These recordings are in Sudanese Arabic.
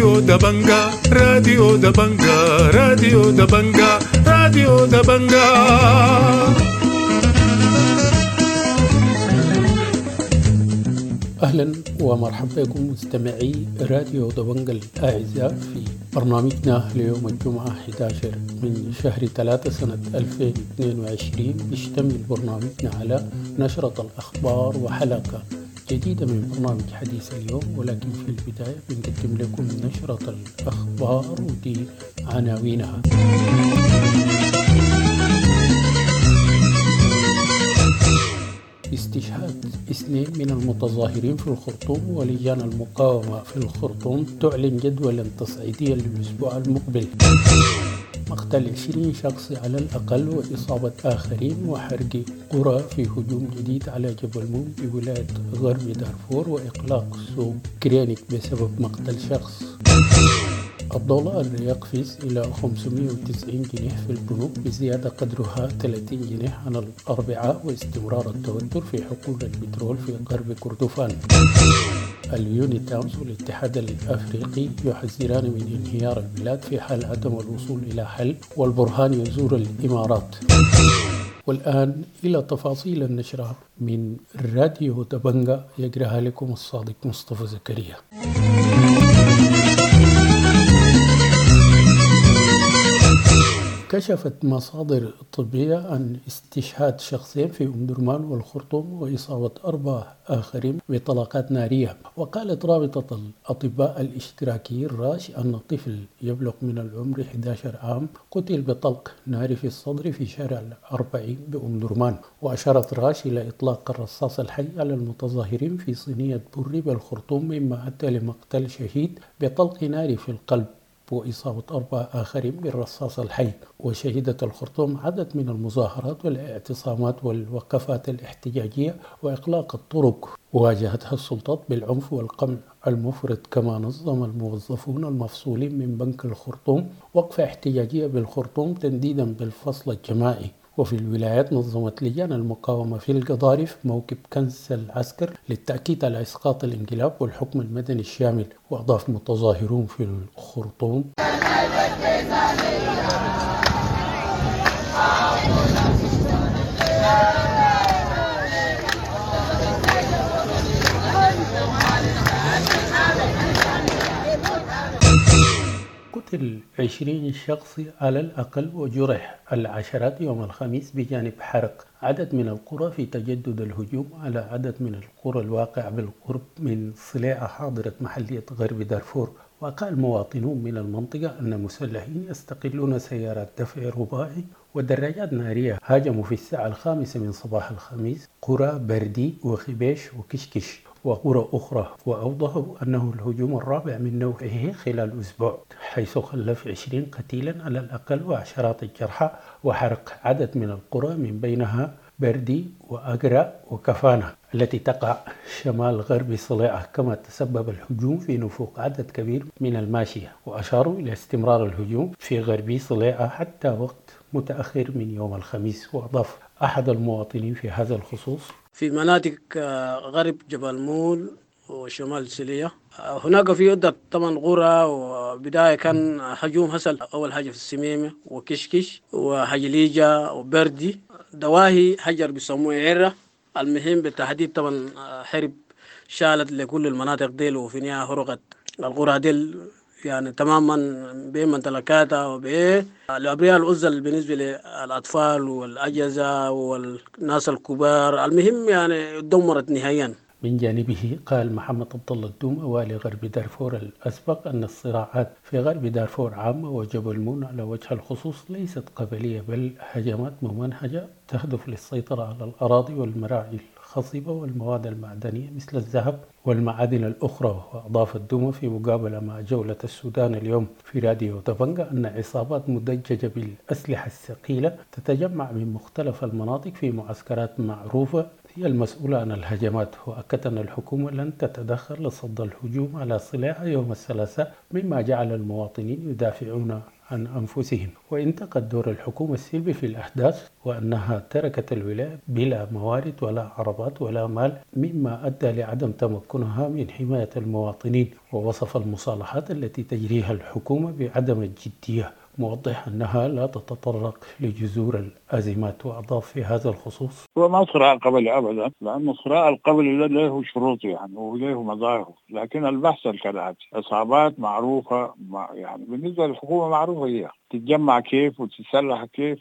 راديو دبنجا، راديو دبنجا، راديو دبنجا، راديو دبنجا. أهلا ومرحبا بكم مستمعي راديو دبنجا الأعزاء في برنامجنا ليوم الجمعة 11 من شهر 3 سنة 2022. بيشتمل برنامجنا على نشرة الأخبار وحلقة جديدة من برنامج حديث اليوم، ولكن في البداية بنقدم لكم نشرة الأخبار ودي عناوينها. استشهاد 2 من المتظاهرين في الخرطوم، ولجان المقاومة في الخرطوم تعلن جدولا تصعيديا للأسبوع المقبل. مقتل 20 شخص على الأقل وإصابة آخرين وحرق قرى في هجوم جديد على جبل مون بولاية غرب دارفور، وإغلاق سوق كرينيك بسبب مقتل شخص. الدولار يقفز إلى 590 جنيه في البنوك بزيادة قدرها 30 جنيه عن الأربعاء، واستمرار التوتر في حقول البترول في غرب كردفان. اليونيتامز والاتحاد الأفريقي يحذران من انهيار البلاد في حال عدم الوصول إلى حل، والبرهان يزور الإمارات. والآن إلى تفاصيل النشرة من راديو دبنجا، يقرأها لكم الصادق مصطفى زكريا. كشفت مصادر طبية عن استشهاد شخصين في أم درمان والخرطوم وإصابة 4 آخرين بطلقات نارية. وقالت رابطة الأطباء الاشتراكيين راش أن طفل يبلغ من العمر 11 عام قتل بطلق ناري في الصدر في شارع 40 بأم درمان. وأشارت راش إلى إطلاق الرصاص الحي على المتظاهرين في صينية بري بالخرطوم، مما أدى لمقتل شهيد بطلق ناري في القلب وإصابة 4 آخرين بالرصاص الحي. وشهدت الخرطوم عدد من المظاهرات والاعتصامات والوقفات الاحتجاجية وإغلاق الطرق، واجهتها السلطات بالعنف والقمع المفرط. كما نظم الموظفون المفصولين من بنك الخرطوم وقفة احتجاجية بالخرطوم تنديدا بالفصل الجماعي. وفي الولايات نظمت لجان المقاومة في القضارف موكب كنس العسكر للتأكيد على إسقاط الانقلاب والحكم المدني الشامل. وأضاف متظاهرون في الخرطوم: قتل 20 شخص على الأقل وجرح العشرات يوم الخميس بجانب حرق عدد من القرى في تجدد الهجوم على عدد من القرى الواقع بالقرب من صليعة حاضرة محلية غرب دارفور. وقال مواطنون من المنطقة أن مسلحين يستقلون سيارات دفع رباعي ودراجات نارية هاجموا في الساعة 5 من صباح الخميس قرى بردي وخبيش وكشكش وقرى أخرى. وأوضحوا أنه الهجوم الرابع من نوعه خلال أسبوع، حيث خلف 20 قتيلا على الأقل وعشرات الجرحى وحرق عدد من القرى من بينها بردي وأقرأ وكفانة التي تقع شمال غرب صليعة. كما تسبب الهجوم في نفوق عدد كبير من الماشية. وأشاروا إلى استمرار الهجوم في غرب صليعة حتى وقت متأخر من يوم الخميس. وأضاف أحد المواطنين في هذا الخصوص: في مناطق غرب جبل مول وشمال سلية هناك في عدة 8 قرى، وبداية كان هجوم حصل أول حاجة في السميمة وكشكش وحجليجة وبردي، دواهي حجر بيسموه عرة. المهم بالتحديد طبعا حرب شالت لكل المناطق ديل، وفي نهاية هرقت القرى ديل يعني تماما بممتلكاتها وبإيه الأبرياء العزل بالنسبة للأطفال والأجهزة والناس الكبار. المهم يعني دمرت نهائيا. من جانبه قال محمد عبد الله الدومة والي غرب دارفور الأسبق أن الصراعات في غرب دارفور عامة وجبل مون على وجه الخصوص ليست قبلية، بل هجمات ممنهجة تهدف للسيطرة على الأراضي والمراعي الخصبة والمواد المعدنية مثل الذهب والمعادن الأخرى. وأضاف الدومة في مقابلة مع جولة السودان اليوم في راديو دبنجا أن عصابات مدججة بالأسلحة الثقيلة تتجمع من مختلف المناطق في معسكرات معروفة هي المسؤولة عن الهجمات. وأكد أن الحكومة لن تتدخل لصد الهجوم على صليعة يوم الثلاثاء، مما جعل المواطنين يدافعون عن أنفسهم. وانتقد دور الحكومة السلبي في الأحداث، وأنها تركت الولاية بلا موارد ولا عربات ولا مال، مما أدى لعدم تمكنها من حماية المواطنين. ووصف المصالحات التي تجريها الحكومة بعدم الجدية، موضح أنها لا تتطرق لجذور الأزمات. وأضاف في هذا الخصوص: هو ما صراع قبلي أبدا، لأنه الصراع القبلي له شروط يعني وله مظاهره، لكن البحث كالآتي: عصابات معروفة، يعني بالنسبة للحكومة معروفة، هي تتجمع كيف وتتسلح كيف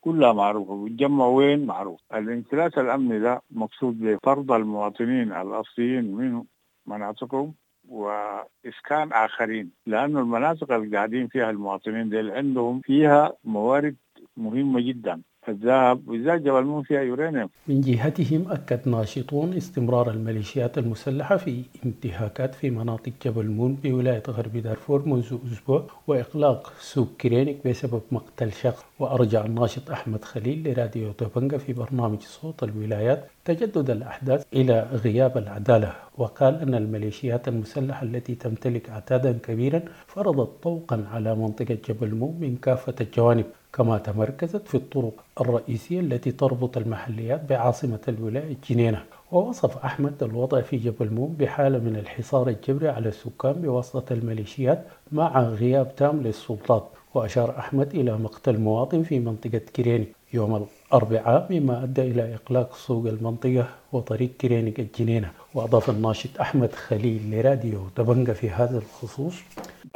كلها معروفة، وتتجمع وين معروف. الانفلات الأمني ده مقصود بطرد المواطنين الأصليين من مناطقهم وإسكان آخرين، لأن المناطق اللي قاعدين فيها المواطنين ديل عندهم فيها موارد مهمة جدا، الذهب، بالذات جبل مون فيها يورانيوم. من جهتهم أكد ناشطون استمرار الميليشيات المسلحة في انتهاكات في مناطق جبل مون بولاية غرب دارفور منذ أسبوع، وإغلاق سوق كرينك بسبب مقتل شخص. وأرجع الناشط أحمد خليل لراديو دبنجة في برنامج صوت الولايات تجدد الأحداث إلى غياب العدالة، وقال أن الميليشيات المسلحة التي تمتلك عتادا كبيرا فرضت طوقا على منطقة جبل مون من كافة الجوانب، كما تمركزت في الطرق الرئيسية التي تربط المحليات بعاصمة الولاية جنينة. ووصف أحمد الوضع في جبل مون بحالة من الحصار الجبري على السكان بواسطة الميليشيات مع غياب تام للسلطات. وأشار أحمد إلى مقتل مواطن في منطقة كرينك يوم الأربعاء، مما أدى إلى إغلاق سوق المنطقة وطريق كرينك الجنينة. وأضاف الناشط أحمد خليل لراديو دبنجة في هذا الخصوص: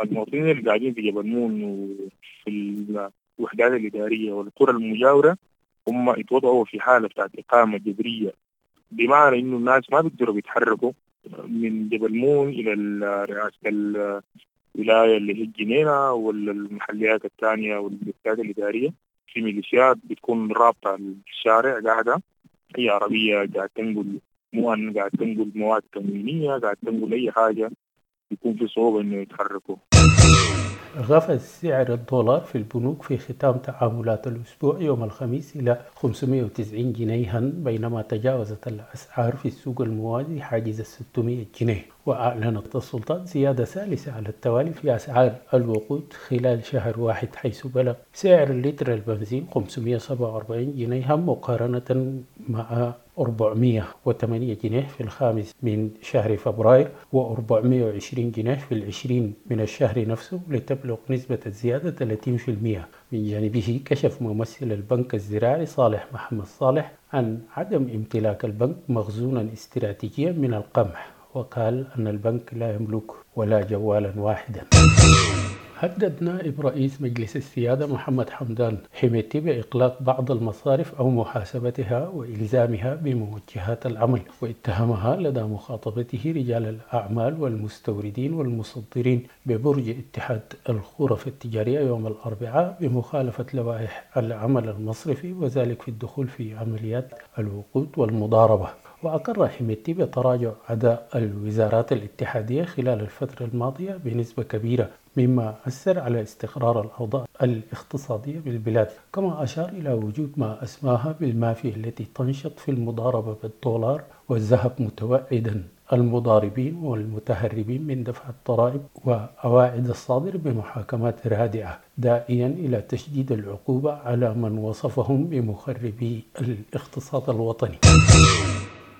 المواطنين اللي قاعدين في جبل مون وفي الوحدات الإدارية والقرى المجاورة هم اتوضعوا في حالة بتاعت إقامة جبرية، بمعنى إنه الناس ما بيقدروا بيتحركوا من جبل مون إلى رئاسة الولاية اللي هي الجنينة ولا المحليات الثانية والوحدات الإدارية. في ميليشيات بتكون رابطة الشارع قاعدة، أي عربية قاعدة تنقل مؤن، قاعدة تنقل مواد تموينية، قاعدة تنقل أي حاجة، بيكون في صعوبة إنه يتحركوا. غفز سعر الدولار في البنوك في ختام تعاملات الأسبوع يوم الخميس إلى 590 جنيها، بينما تجاوزت الأسعار في السوق الموازي حاجز 600 جنيه. وأعلنت السلطات زيادة ثالثة على التوالي في أسعار الوقود خلال شهر واحد، حيث بلغ سعر لتر البنزين 547 جنيها مقارنة مع 408 جنيه في الخامس من شهر فبراير، و420 جنيه في 20 من الشهر نفسه، لتبلغ نسبة الزيادة 30%. من جانبه كشف ممثل البنك الزراعي صالح محمد صالح عن عدم امتلاك البنك مخزونا استراتيجيا من القمح، وقال أن البنك لا يملك ولا جوالا واحدا. هدد نائب رئيس مجلس السيادة محمد حمدان حميدتي بإغلاق بعض المصارف أو محاسبتها وإلزامها بموجهات العمل، واتهمها لدى مخاطبته رجال الأعمال والمستوردين والمصدرين ببرج اتحاد الغرف التجارية يوم الأربعاء بمخالفة لوائح العمل المصرفي، وذلك في الدخول في عمليات الوقود والمضاربة. وأقر حميدتي بتراجع أداء الوزارات الاتحادية خلال الفترة الماضية بنسبة كبيرة، مما أثر على استقرار الأوضاع الاقتصادية بالبلاد، كما أشار إلى وجود ما أسماها بالمافيا التي تنشط في المضاربة بالدولار والذهب، متوعدا المضاربين والمتهربين من دفع الضرائب وأواعد الصادر بمحاكمات رادعة، داعيا إلى تشديد العقوبة على من وصفهم بمخربي الاقتصاد الوطني.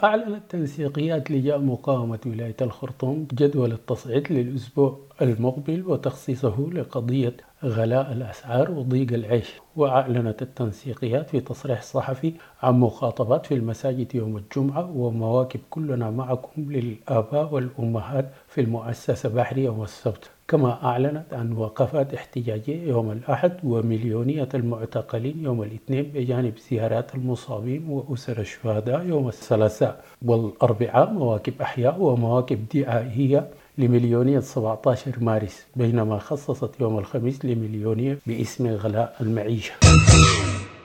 أعلنت تنسيقيات لجان مقاومة ولاية الخرطوم جدول التصعيد للأسبوع المقبل وتخصيصه لقضية غلاء الأسعار وضيق العيش. وأعلنت التنسيقيات في تصريح صحفي عن مخاطبات في المساجد يوم الجمعة ومواكب كلنا معكم للآباء والأمهات في المؤسسة بحري يوم السبت. كما أعلنت عن وقفات احتجاجية يوم الأحد ومليونية المعتقلين يوم الاثنين، بجانب زيارات المصابين وأسر الشهداء يوم الثلاثاء والأربعاء، مواكب أحياء ومواكب دعائية لمليونية 17 مارس، بينما خصصت يوم الخميس لمليونية باسم غلاء المعيشة.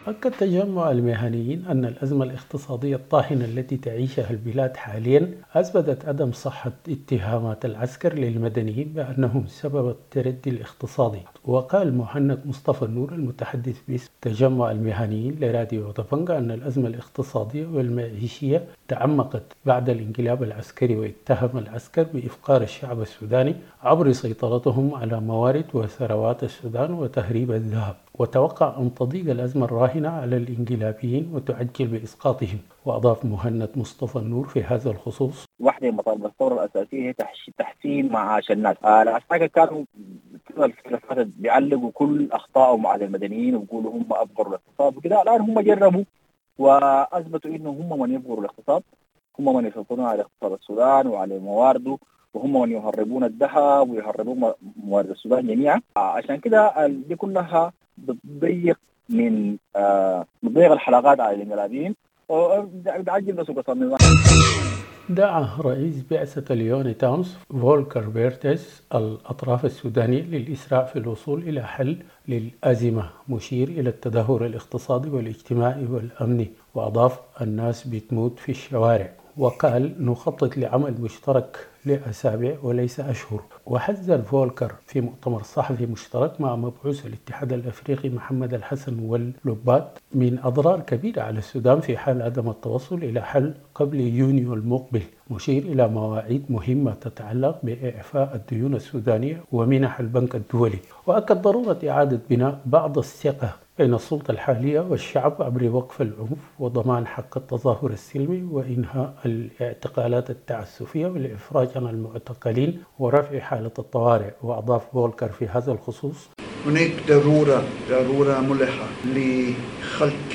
أكد تجمع المهنيين أن الأزمة الاقتصادية الطاحنة التي تعيشها البلاد حاليا أثبتت عدم صحة اتهامات العسكر للمدنيين بأنهم سبب التردي الاقتصادي. وقال مهند مصطفى النور المتحدث باسم تجمع المهنيين لراديو دبنجا أن الأزمة الاقتصادية والمعيشية تعمقت بعد الانقلاب العسكري، واتهم العسكر بإفقار الشعب السوداني عبر سيطرتهم على موارد وثروات السودان وتهريب الذهب. وتوقع أن تضيق الأزمة الراهنة على الانقلابيين وتعجل بإسقاطهم. وأضاف مهند مصطفى النور في هذا الخصوص: واحدة من مطالب الثورة الأساسية هي تحسين معاش الناس. العساكر كانوا الفترة فاتت بيعلقوا كل أخطائهم على المدنيين وبيقولوا هم أفقروا الاقتصاد وكده. الآن هم جربوا وأثبتوا إنه هم من يفقروا الاقتصاد، هم من يسيطرون على اقتصاد السودان وعلى موارده، وهم من يهربون الذهب ويهربون موارد السودان جميعا. عشان كده دي كلها بتضيق من بتضيق الحلقات على الانقلابيين وبتعجل بسوق النظام. دعا رئيس بعثة اليونيتامس فولكر بيرتس الأطراف السودانية للإسراع في الوصول إلى حل للأزمة، مشير إلى التدهور الاقتصادي والاجتماعي والأمني. وأضاف: الناس بتموت في الشوارع. وقال: نخطط لعمل مشترك لأسابيع وليس أشهر. وحذر فولكر في مؤتمر صحفي مشترك مع مبعوث الاتحاد الأفريقي محمد الحسن واللبات من أضرار كبيرة على السودان في حال عدم التوصل إلى حل قبل يونيو المقبل، مشير إلى مواعيد مهمة تتعلق بإعفاء الديون السودانية ومنح البنك الدولي. وأكد ضرورة إعادة بناء بعض الثقة بين السلطة الحالية والشعب عبر وقف العنف وضمان حق التظاهر السلمي وإنهاء الاعتقالات التعسفية والإفراج عن المعتقلين ورفع حالة الطوارئ. وأضاف فولكر في هذا الخصوص: هناك ضرورة ملحة لخلق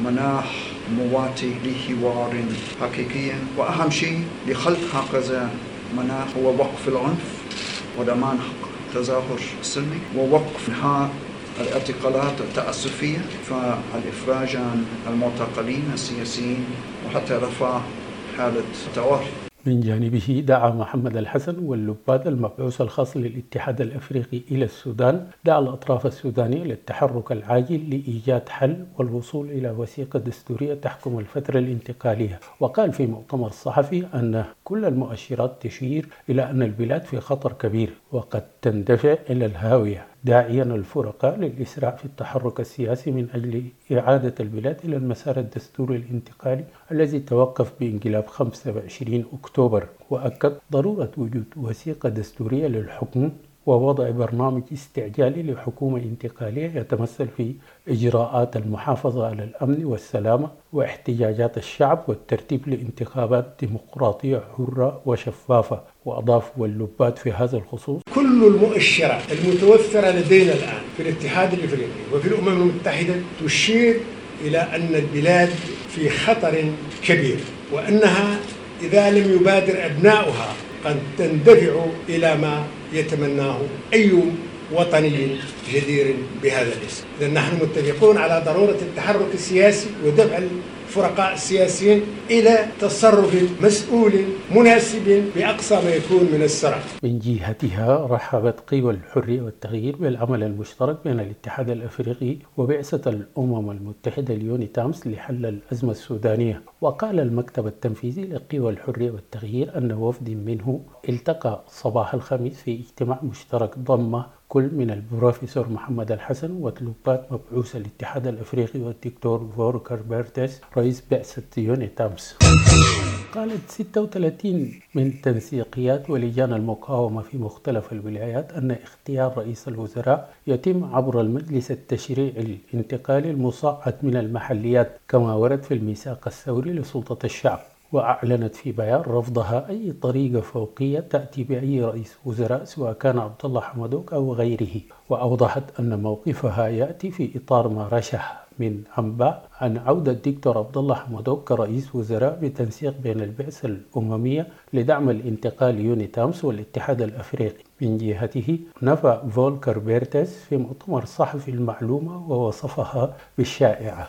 مناخ مواتي لحوار حقيقي، وأهم شيء لخلق هكذا مناخ هو وقف العنف وضمان حق التظاهر السلمي ووقف إنهاء الاعتقالات التعسفية فالإفراج عن المعتقلين السياسيين وحتى رفع حالة الطوارئ. من جانبه دعا محمد الحسن واللباد المبعوث الخاص للاتحاد الأفريقي إلى السودان دعا الأطراف السودانية للتحرك العاجل لإيجاد حل والوصول إلى وثيقة دستورية تحكم الفترة الانتقالية. وقال في مؤتمر صحفي أن كل المؤشرات تشير إلى أن البلاد في خطر كبير وقد تندفع إلى الهاوية، داعيا الفرقاء للإسراع في التحرك السياسي من أجل إعادة البلاد إلى المسار الدستوري الانتقالي الذي توقف بانقلاب 25 أكتوبر. وأكد ضرورة وجود وثيقة دستورية للحكم ووضع برنامج استعجالي لحكومة انتقالية يتمثل في إجراءات المحافظة على الأمن والسلامة واحتجاجات الشعب والترتيب لانتخابات ديمقراطية حرة وشفافة. وأضاف واللبات في هذا الخصوص: كل المؤشرات المتوفرة لدينا الآن في الاتحاد الإفريقي وفي الأمم المتحدة تشير إلى أن البلاد في خطر كبير، وأنها إذا لم يبادر أبناؤها قد تندفع إلى ما يتمناه أي وطني جدير بهذا الاسم. إذن نحن متفقون على ضرورة التحرك السياسي ودفع الفرقاء السياسيين إلى تصرف مسؤول مناسب بأقصى ما يكون من السرعة. من جهتها رحبت قوى الحرية والتغيير بالعمل المشترك بين الاتحاد الأفريقي وبعثة الأمم المتحدة اليونيتامس لحل الأزمة السودانية. وقال المكتب التنفيذي لقوى الحرية والتغيير أن وفد منه التقى صباح الخميس في اجتماع مشترك ضم كل من البروفيسور محمد الحسن وتلوبات مبعوث الاتحاد الأفريقي والدكتور فولكر بيرتس رئيس بعثة يونيتامس. قالت 36 من تنسيقيات ولجان المقاومة في مختلف الولايات أن اختيار رئيس الوزراء يتم عبر المجلس التشريعي الانتقالي المصعد من المحليات كما ورد في الميثاق الثوري لسلطة الشعب. وأعلنت في بيان رفضها أي طريقة فوقية تأتي بأي رئيس وزراء سواء كان عبد الله حمدوك أو غيره. وأوضحت أن موقفها يأتي في إطار ما رشح من أنباء عن عودة الدكتور عبد الله حمدوك كرئيس وزراء بتنسيق بين البعثة الأممية لدعم الانتقال يونيتامس والاتحاد الأفريقي. من جهته نفى فولكر بيرتس في مؤتمر صحفي المعلومة ووصفها بالشائعة.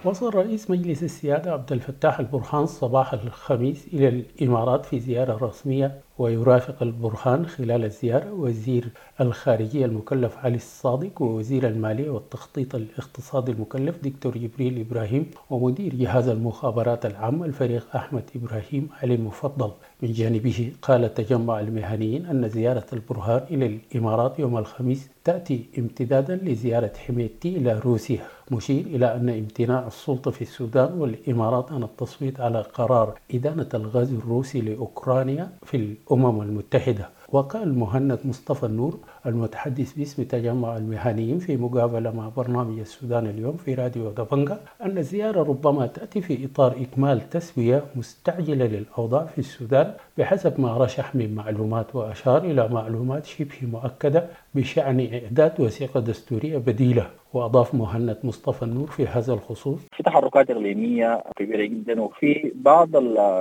وصل رئيس مجلس السيادة عبد الفتاح البرهان صباح الخميس إلى الإمارات في زيارة رسمية ويرافق البرهان خلال الزيارة وزير الخارجية المكلف علي الصادق، ووزير المالية والتخطيط الاقتصادي المكلف دكتور جبريل إبراهيم، ومدير جهاز المخابرات العامة الفريق أحمد إبراهيم علي المفضل. من جانبه قال تجمع المهنيين أن زيارة البرهان إلى الإمارات يوم الخميس تأتي امتدادا لزيارة حميدتي إلى روسيا، مشير إلى أن امتناع السلطة في السودان والإمارات عن التصويت على قرار إدانة الغاز الروسي لأوكرانيا في الأمم المتحدة. وقال مهند مصطفى النور المتحدث باسم تجمع المهنيين في مقابلة مع برنامج السودان اليوم في راديو دبنجة أن الزيارة ربما تأتي في إطار إكمال تسوية مستعجلة للأوضاع في السودان بحسب ما رشح من معلومات، وأشار إلى معلومات شبه مؤكدة بشأن إعداد وثيقة دستورية بديلة. وأضاف مهند مصطفى النور في هذا الخصوص: في تحركات إقليمية كبيرة جدا، وفي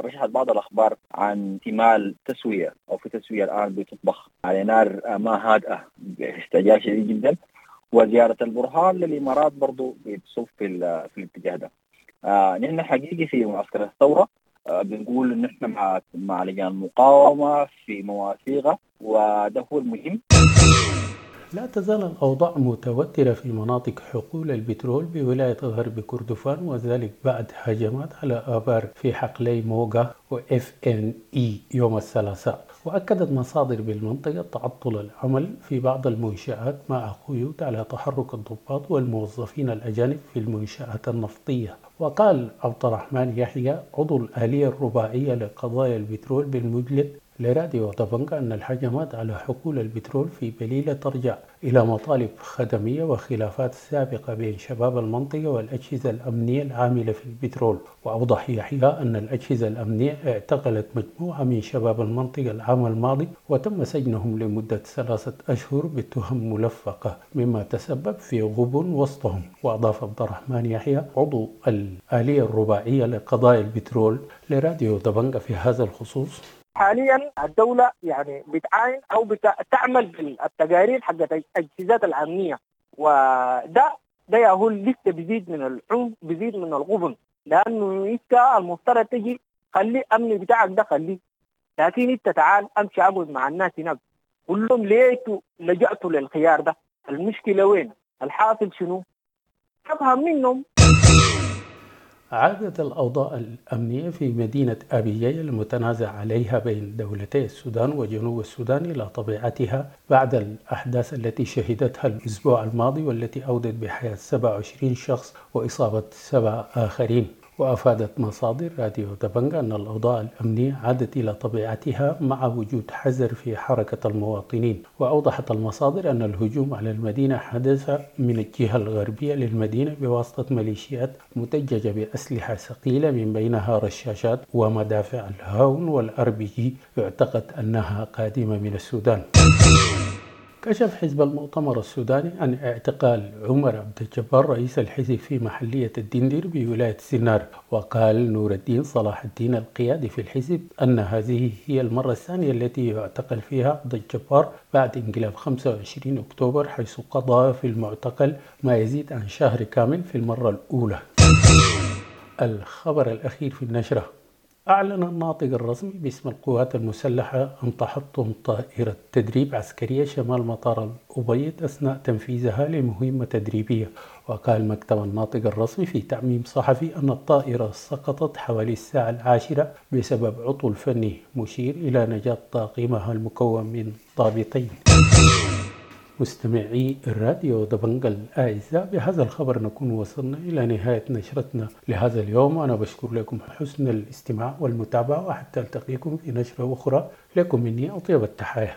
رشحت بعض الأخبار عن احتمال تسوية أو في تسوية الآن بتطبخ على نار ما هادئة باستعجال شديد جدا. وزيارة البرهان للإمارات برضو بتصب في الاتجاه ده. نحن حقيقي في معسكر الثورة بنقول إن نحن مع لجان المقاومة في مواثيقها، وده هو المهم. لا تزال الأوضاع متوترة في مناطق حقول البترول بولاية غرب كردفان، وذلك بعد هجمات على آبار في حقلي موغا و FNE يوم الثلاثاء. وأكدت مصادر بالمنطقة تعطل العمل في بعض المنشآت مع قيود على تحرك الضباط والموظفين الأجانب في المنشآت النفطية. وقال عبد الرحمن يحيى عضو الآلية الرباعية لقضايا البترول بالمجلد لراديو دبنجة أن الهجمات على حقول البترول في بليلة ترجع إلى مطالب خدمية وخلافات سابقة بين شباب المنطقة والأجهزة الأمنية العاملة في البترول. وأوضح يحيى أن الأجهزة الأمنية اعتقلت مجموعة من شباب المنطقة العام الماضي وتم سجنهم لمدة 3 أشهر بتهم ملفقة، مما تسبب في غبن وسطهم. وأضاف عبد الرحمن يحيى عضو الآلية الرباعية لقضايا البترول لراديو دبنجة في هذا الخصوص: حاليا الدولة يعني بتعاين أو بتعمل بالتقارير حقت الأجهزات الأمنية، وده ده هو لسه بيزيد من العنف، بيزيد من الغبن، لأنه أنت المفترض تجي خلي أمن بتاعك ده خليه، لكن أنت تعال أمشي أقعد مع الناس هناك قول لهم ليه لجأتوا للخيار ده، المشكلة وين، الحاصل شنو، تفهم منهم. عادت الأوضاع الأمنية في مدينة أبيي المتنازع عليها بين دولتي السودان وجنوب السودان إلى طبيعتها بعد الأحداث التي شهدتها الأسبوع الماضي، والتي أودت بحياة 27 شخص وإصابة 7 آخرين. وأفادت مصادر راديو دبنجة أن الأوضاع الأمنية عادت إلى طبيعتها مع وجود حذر في حركة المواطنين. وأوضحت المصادر أن الهجوم على المدينة حدث من الجهة الغربية للمدينة بواسطة ميليشيات مدججة بأسلحة ثقيلة من بينها رشاشات ومدافع الهاون والأربجي، يعتقد أنها قادمة من السودان. كشف حزب المؤتمر السوداني عن اعتقال عمر عبد الجبار رئيس الحزب في محلية الدندر بولاية سنار. وقال نور الدين صلاح الدين القيادي في الحزب أن هذه هي المرة الثانية التي يعتقل فيها عبد الجبار بعد انقلاب 25 أكتوبر، حيث قضى في المعتقل ما يزيد عن شهر كامل في المرة الأولى. الخبر الأخير في النشرة: أعلن الناطق الرسمي باسم القوات المسلحة عن تحطم طائرة تدريب عسكرية شمال مطار الأبيض أثناء تنفيذها لمهمة تدريبية. وقال مكتب الناطق الرسمي في تعميم صحفي أن الطائرة سقطت حوالي الساعة 10 بسبب عطل فني، مشير إلى نجاة طاقمها المكون من ضابطين. مستمعي الراديو دبنجة الأعزاء، بهذا الخبر نكون وصلنا إلى نهاية نشرتنا لهذا اليوم. أنا بشكر لكم حسن الاستماع والمتابعة، وحتى ألتقيكم في نشرة أخرى. لكم مني أطيب التحايا.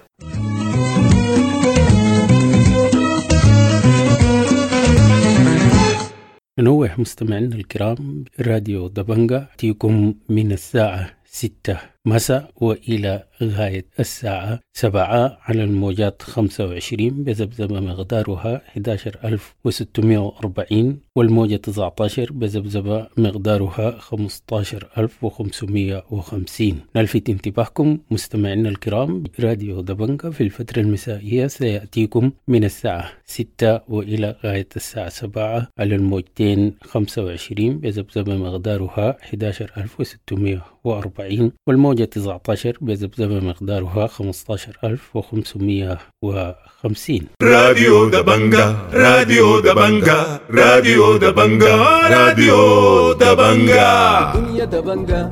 ننوه مستمعينا الكرام، راديو دبنجة تيكم من الساعة 6 مساء وإلى غاية الساعة 7 على الموجات 25 بذبذبة مقدارها 11640، والموجة 19 بذبذبة مقدارها 15550. نلفت انتباهكم مستمعينا الكرام، راديو دبنجة في الفترة المسائية سيأتيكم من الساعة 6 وإلى غاية الساعة 7 على الموجتين 25 بذبذبة مقدارها 11640، والموجة الموجة 19 بذبذبة مقدارها 15550. راديو دبنجا، راديو دبنجا، راديو دبنجا، راديو دبنجا. دنيا دبنجا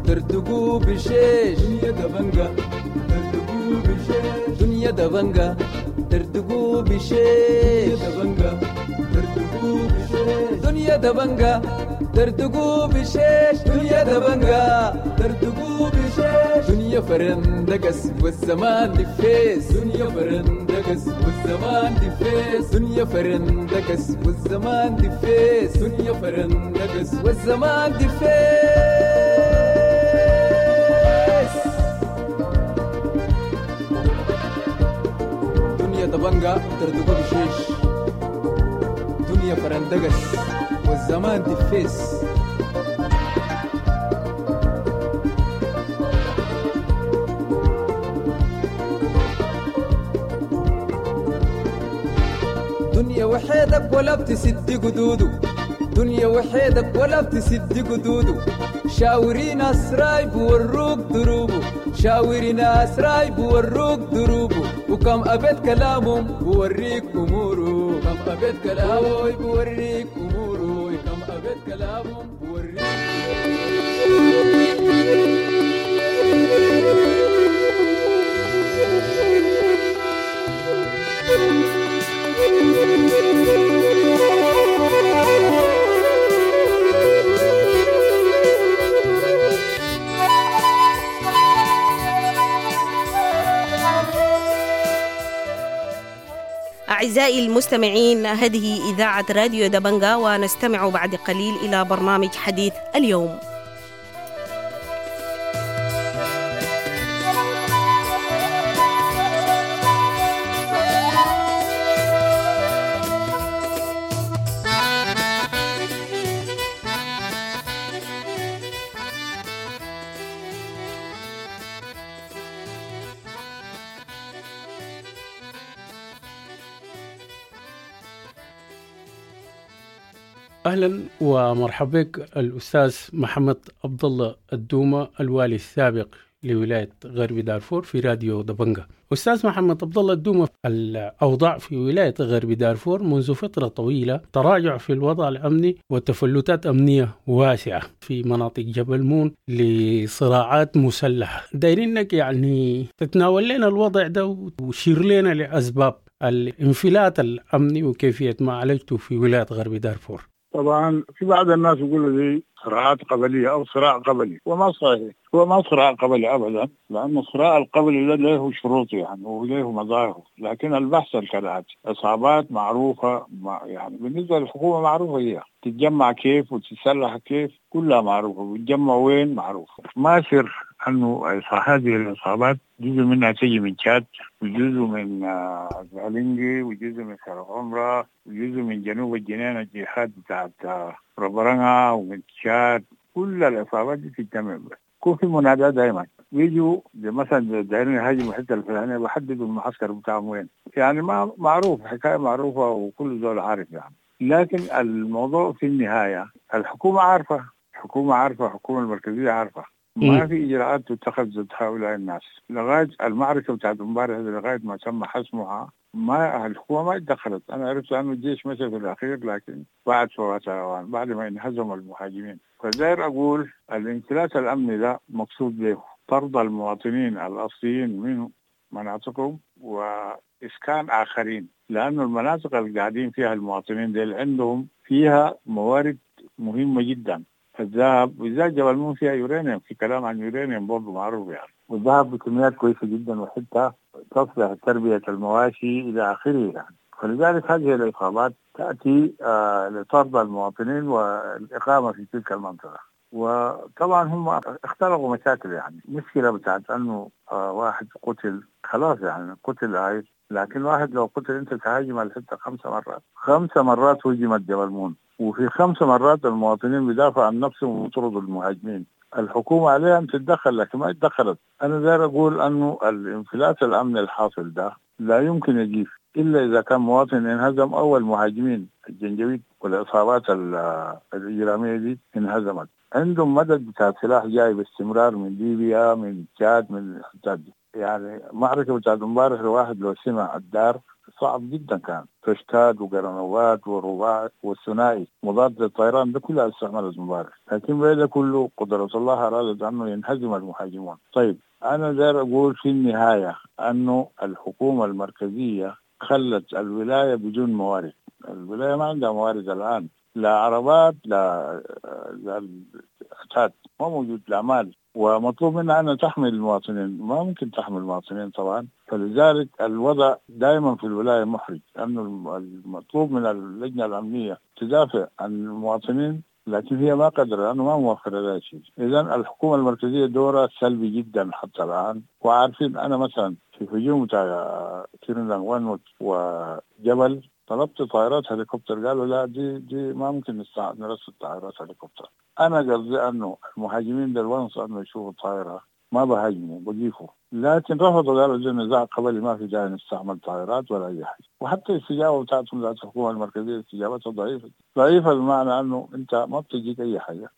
ترتقو بشيش، دنيا دبنجا ترتقو بشيش، دنيا دبنجا ترتقو بشيش، دبنجا ترتقو بشيش، دنيا دبنجا ترتقو بشيش، دنيا دبنجا ترتقو بشيش، دنيا فرندقس والزمان دفيس، دنيا فرندقس والزمان دفيس، دنيا فرندقس والزمان دفيس، دنيا فرندقس والزمان دفيس. دنيا دبنجا ترتقو بشيش، دنيا فرندقس والزمان دفيس. دنيا وحيدك ولا بتسد قدوده، دنيا وحيدك ولا بتسد قدوده، شاوري ناس رايب وروك دروبه، شاوري ناس رايب وروك دروبه، وكم أبيت كلامهم بوريك أموره، كم أبيت كلامه بوريك أموره، كم أبيت كلامهم بوريك. أعزائي المستمعين، هذه إذاعة راديو دبنجا، ونستمع بعد قليل إلى برنامج حديث اليوم. أهلا ومرحبا بك الأستاذ محمد عبد الله الدومة، الوالي السابق لولاية غرب دارفور في راديو دبنجا. أستاذ محمد عبد الله الدومة، الأوضاع في ولاية غرب دارفور منذ فترة طويلة تراجع في الوضع الأمني وتفلتات أمنية واسعة في مناطق جبل مون لصراعات مسلحة. دايرينك يعني تتناول لنا الوضع ده وشير لنا لأسباب الانفلات الأمني وكيفية معالجته في ولاية غرب دارفور. طبعا في بعض الناس يقولوا دي صراعات قبلية أو صراع قبلي، وما صحيح، هو ما صراع قبلي أبدا، لأن الصراع القبلي له شروط يعني وله مظاهره، لكن البحث الكالآتي: عصابات معروفة يعني بالنسبة للحكومة معروفة، هي تتجمع كيف وتتسلح كيف كلها معروفة، وتتجمع وين معروفة. ما سر أنه هذه العصابات جزء منها تيجي من تشاد، وجزء من زالينجي، وجزء من عمرة، وجزء من جنوب الجنينة الجهات بتاعت ربرنا، ومن تشاد. كل العصابات دي تتجمع، يكون في مناداة دائما، بيجوا مثلا دايرين يهاجموا الحته الفلانيه، بحددوا المعسكر بتاعهم وين، يعني ما معروف، حكايه معروفه وكل زول عارف يعني. لكن الموضوع في النهايه الحكومه عارفه، الحكومه عارفه، الحكومه المركزيه عارفه، ما في اجراءات تتخذ ضد هؤلاء الناس لغايه المعركه بتاعت امبارح، لغايه ما تم حسمها ما الحكومه ما اتدخلت. انا عرفت انه الجيش مشى في الاخير، لكن بعد فوات الاوان، بعد ما انهزم المهاجمين. فداير اقول الانفلات الامني ده مقصود به طرد المواطنين الاصليين من مناطقهم واسكان اخرين، لانه المناطق اللي قاعدين فيها المواطنين ديل عندهم فيها موارد مهمه جدا، الذهب، بالذات جبل مون فيها يورانيوم، في كلام عن يورانيوم برضه معروف يعني، والذهب بكميات كويسه جدا، وحتى تصلح تربيه المواشي الى اخره يعني. فلذلك هذه العصابات تاتي لطرد المواطنين والاقامه في تلك المنطقه. وطبعا هم اخترقوا مشاكل، يعني مشكله بتاعت انه واحد قتل، خلاص يعني قتل عايش، لكن واحد لو قتل انت تهاجم الحته 5 مرات، 5 مرات هجمت جبل مون، وفي 5 مرات المواطنين بيدافعوا عن نفسهم ويطردوا المهاجمين. الحكومة عليها أن تتدخل، لكن ما اتدخلت. أنا داير أقول أنه الانفلات الأمني الحاصل ده لا يمكن يجيب إلا إذا كان مواطن انهزم أو المهاجمين الجنجويد والعصابات الإجرامية دي انهزمت. عندهم مدد بتاع سلاح جاي باستمرار من ليبيا، من تشاد، من الحتات دي. يعني معركة بتاعت امبارح الواحد لو سمع الدار صعب جدا، كان تشتاد وقرنوات ورباع والثنائي مضاد للطيران ده كلها استعملت امبارح، لكن بين ده كله قدرة الله أرادت أنه ينهزم المهاجمون. طيب أنا داير أقول في النهاية أنه الحكومة المركزية خلت الولاية بدون موارد، الولاية ما عندها موارد الآن، لا عربات لا أتات، ما موجود، لا مال، ومطلوب منها أن تحمي المواطنين، ما ممكن تحمي المواطنين طبعا. فلذلك الوضع دائما في الولاية محرج، أنه المطلوب من اللجنة الأمنية تدافع عن المواطنين، لكن هي ما قدرت لأنه ما موفرة لها شيء. إذا الحكومة المركزية دورها سلبي جدا حتى الآن، وعارفين. أنا مثلا في هجوم بتاع كيرنلان وجبل طلبت طائرات هليكوبتر، قالوا لا دي ما ممكن نرسل طائرات هليكوبتر. أنا قصدي أنه المهاجمين دول once أنه يشوفوا الطائرة ما بهاجموا، بقيفوا، لكن رفضوا، قالوا ده نزاع قبلي ما في داعي نستعمل طائرات ولا أي حاجة. وحتى الاستجابة بتاعتهم ذات الحكومة المركزية استجابتها ضعيفة ضعيفة، بمعنى أنه أنت ما بتجيك أي حاجة.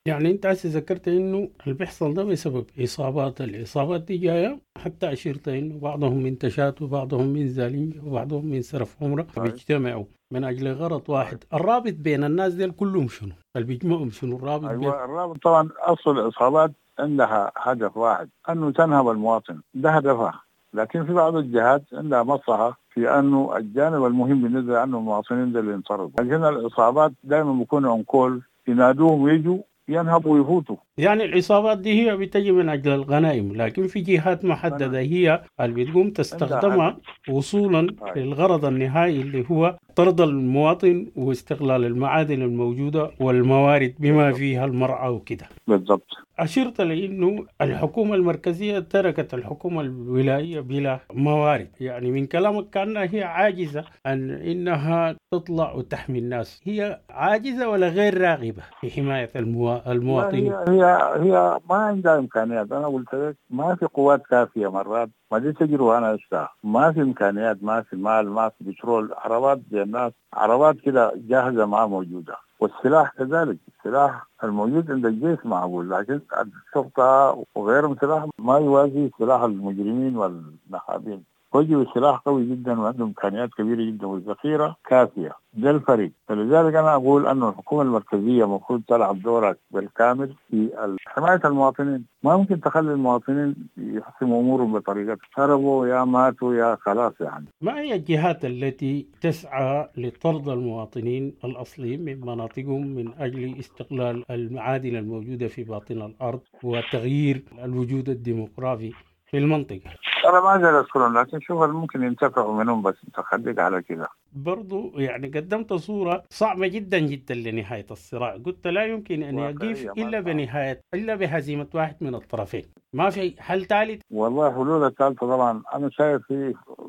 يعني أنت عايز ذكرت إنه اللي بيحصل ده بسبب إصابات، الإصابات دي جاية حتى أشرت إنه بعضهم من تشات وبعضهم من زالينج وبعضهم من سرف عمرة بيجتمعوا من أجل غرض واحد. الرابط بين الناس دي كلهم شنو؟ اللي بيجمعهم شنو الرابط؟ أيوة، الرابط طبعا أصل الإصابات عندها هدف واحد، أنه تنهب المواطن، ده هدفها. لكن في بعض الجهات عندها مصلحة في أنه الجانب المهم بالنسبة لأنه المواطنين ده اللي ينطردوا. لكن الإصابات دائما بيكونوا أنكول، ينادوهم ويجوا ينهبوا ويفوتوا. يعني العصابات دي هي بتجي من أجل الغنائم، لكن في جهات محددة هي اللي بتقوم تستخدمها وصولا للغرض النهائي اللي هو طرد المواطن واستغلال المعادن الموجودة والموارد بما فيها المرعى وكده. بالضبط. أشرت لأنه الحكومة المركزية تركت الحكومة الولائية بلا موارد، يعني من كلامك كأنها هي عاجزة عن إنها تطلع وتحمي الناس. هي عاجزة ولا غير راغبة في حماية المواطنين؟ هي ما عندها إمكانيات. أنا قلت لك ما في قوات كافية مرات، ما دي تجربة أنا عشتها، ما في إمكانيات، ما في مال، ما في بترول، عربات زي الناس، عربات كده جاهزة ما موجودة. والسلاح كذلك، السلاح الموجود عند الجيش معقول، لكن الشرطة وغيرهم سلاح ما يوازي سلاح المجرمين والنحابين. وجدوا سلاح قوي جدا وعندهم إمكانيات كبيرة جدا والذخيرة كافية، ده الفريق. فلذلك أنا أقول أن الحكومة المركزية المفروض تلعب دورها بالكامل في حماية المواطنين. ما ممكن تخلي المواطنين يحسموا أمورهم بطريقة هربوا يا ماتوا يا خلاص. يعني ما هي الجهات التي تسعى لطرد المواطنين الأصليين من مناطقهم من أجل استغلال المعادن الموجودة في باطن الأرض وتغيير الوجود الديمقراطي في المنطقة؟ أنا ما أقدر أذكرهم، لكن شوف ممكن ينتفعوا منهم، بس أنت خليك على كده. برضو يعني قدمت صورة صعبة جدا جدا لنهاية الصراع، قلت لا يمكن أن يقف إلا بنهاية، إلا بهزيمة واحد من الطرفين، ما في حل ثالث. والله حلول الثالثة طبعا أنا شايف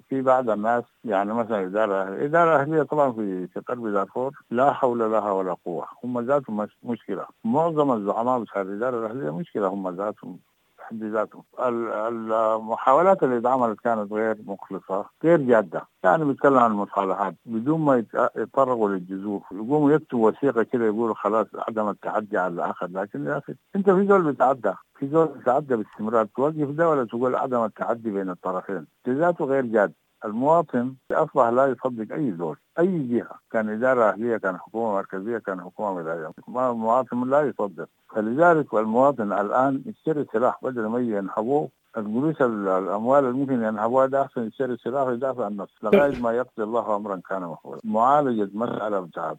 في بعض الناس، يعني مثلا الإدارة الأهلية طبعا في غرب دارفور لا حول لها ولا قوة، هم ذاتهم مشكلة. معظم الزعماء بتاع الإدارة الأهلية مشكلة، هم ذاتهم حد ذاته. المحاولات اللي اتعملت كانت غير مخلصة، غير جادة. يعني بيتكلم عن المصالحات بدون ما يتطرقوا للجذور، يقوموا يكتبوا وثيقة كده يقولوا خلاص عدم التعدي على الآخر. لكن يا أخي أنت في زول بيتعدى، في زول بيتعدى باستمرار، توقف ده ولا تقول عدم التعدي بين الطرفين، ذاته غير جاد. المواطن أصبح لا يصدق أي زول، أي جهة، كان إدارة أهلية، كان حكومة مركزية، كان حكومة ولاية، المواطن لا يصدق. فلذلك المواطن الآن يشتري سلاح بدل ما ينهبوه القروش، الأموال اللي ممكن ينهبوها ده أحسن يشتري سلاح ويدافع عن نفسه لغاية ما يقضي الله أمرا كان مفعولا. معالجة مسألة بتاعت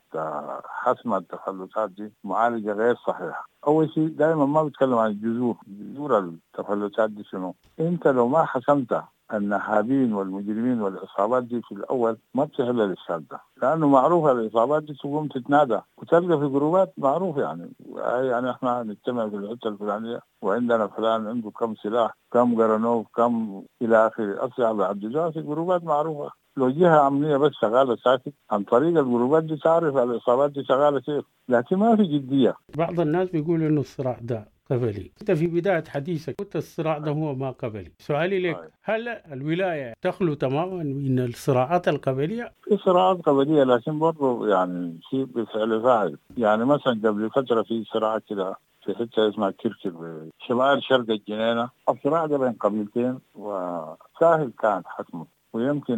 حسم التخلفات دي معالجة غير صحيحة. أول شيء دائما ما بتكلم عن الجذور، جذور التخلفات دي شنو؟ أنت لو ما حسمتها النهابين والمجرمين والعصابات دي في الأول ما بتحل الإشكال ده، لأنه معروف العصابات دي تقوم تتنادى وتلقى في جروبات معروف، يعني إحنا نجتمع في الحتة الفلانية وعندنا فلان عنده كم سلاح، كم قرنوف، كم إلى آخره، أسلحة بعددها في جروبات معروفة. لو جهة أمنية بس شغالة ساكت عن طريق الجروبات دي تعرف العصابات دي شغالة كيف، لكن ما في جدية. بعض الناس بيقولوا إنه الصراع ده قبلي. أنت في بداية حديثك قلت الصراع ده هو ما قبلي. سؤالي لك، هل الولاية تخلو تماما من الصراعات القبلية؟ في صراعات قبلية، لكن برضه يعني شيء بفعل فاعل. يعني مثلا قبل فترة في صراع كده في حتة اسمها كركر شمال شرق الجنينة، الصراع ده بين قبيلتين وسهل كان حسمه ويمكن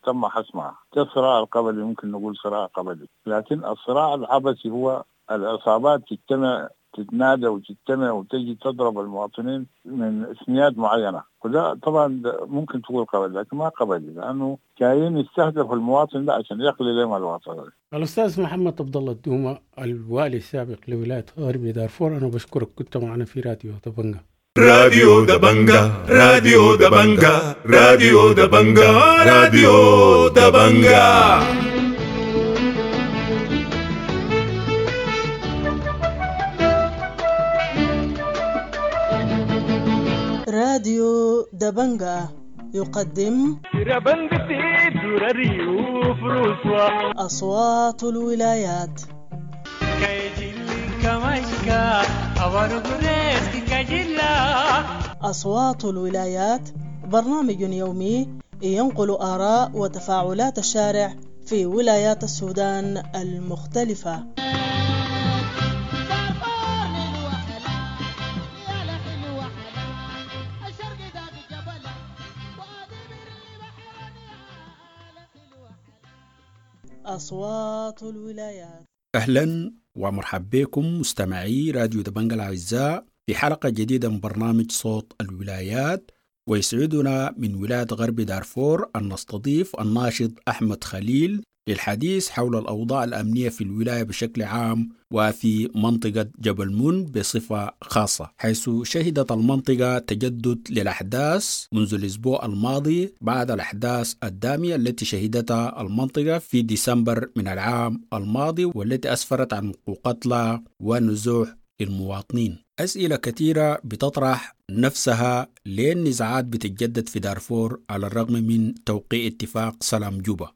تم حسمها. ده الصراع القبلي، ممكن نقول صراع قبلي. لكن الصراع العبثي هو العصابات تجتمع، تتنادى وتجتمع وتجي تضرب المواطنين من اثنيات معينة، وده طبعا ممكن تقول قبلي لكن ما قبلي، لأنه جايين يستهدفوا المواطن ده عشان يخلي لهم الوطن. الأستاذ محمد عبد الله الدومة، الوالي السابق لولاية غرب دارفور، أنا بشكرك، كنت معنا في راديو دبنجة. راديو دبنجة، راديو دبنجة، راديو دبنجة، راديو دبنجة. راديو دبنجة يقدم أصوات الولايات. أصوات الولايات برنامج يومي ينقل آراء وتفاعلات الشارع في ولايات السودان المختلفة. أصوات الولايات. أهلا ومرحبا بكم مستمعي راديو دبنجة الأعزاء في حلقة جديدة من برنامج صوت الولايات، ويسعدنا من ولاية غرب دارفور أن نستضيف الناشط أحمد خليل للحديث حول الأوضاع الأمنية في الولاية بشكل عام وفي منطقة جبل مون بصفة خاصة، حيث شهدت المنطقة تجدد للأحداث منذ الأسبوع الماضي بعد الأحداث الدامية التي شهدتها المنطقة في ديسمبر من العام الماضي، والتي أسفرت عن وقوع قتلى ونزوح للمواطنين. أسئلة كثيرة بتطرح نفسها، ليه النزاعات بتتجدد في دارفور على الرغم من توقيع اتفاق سلام جوبا؟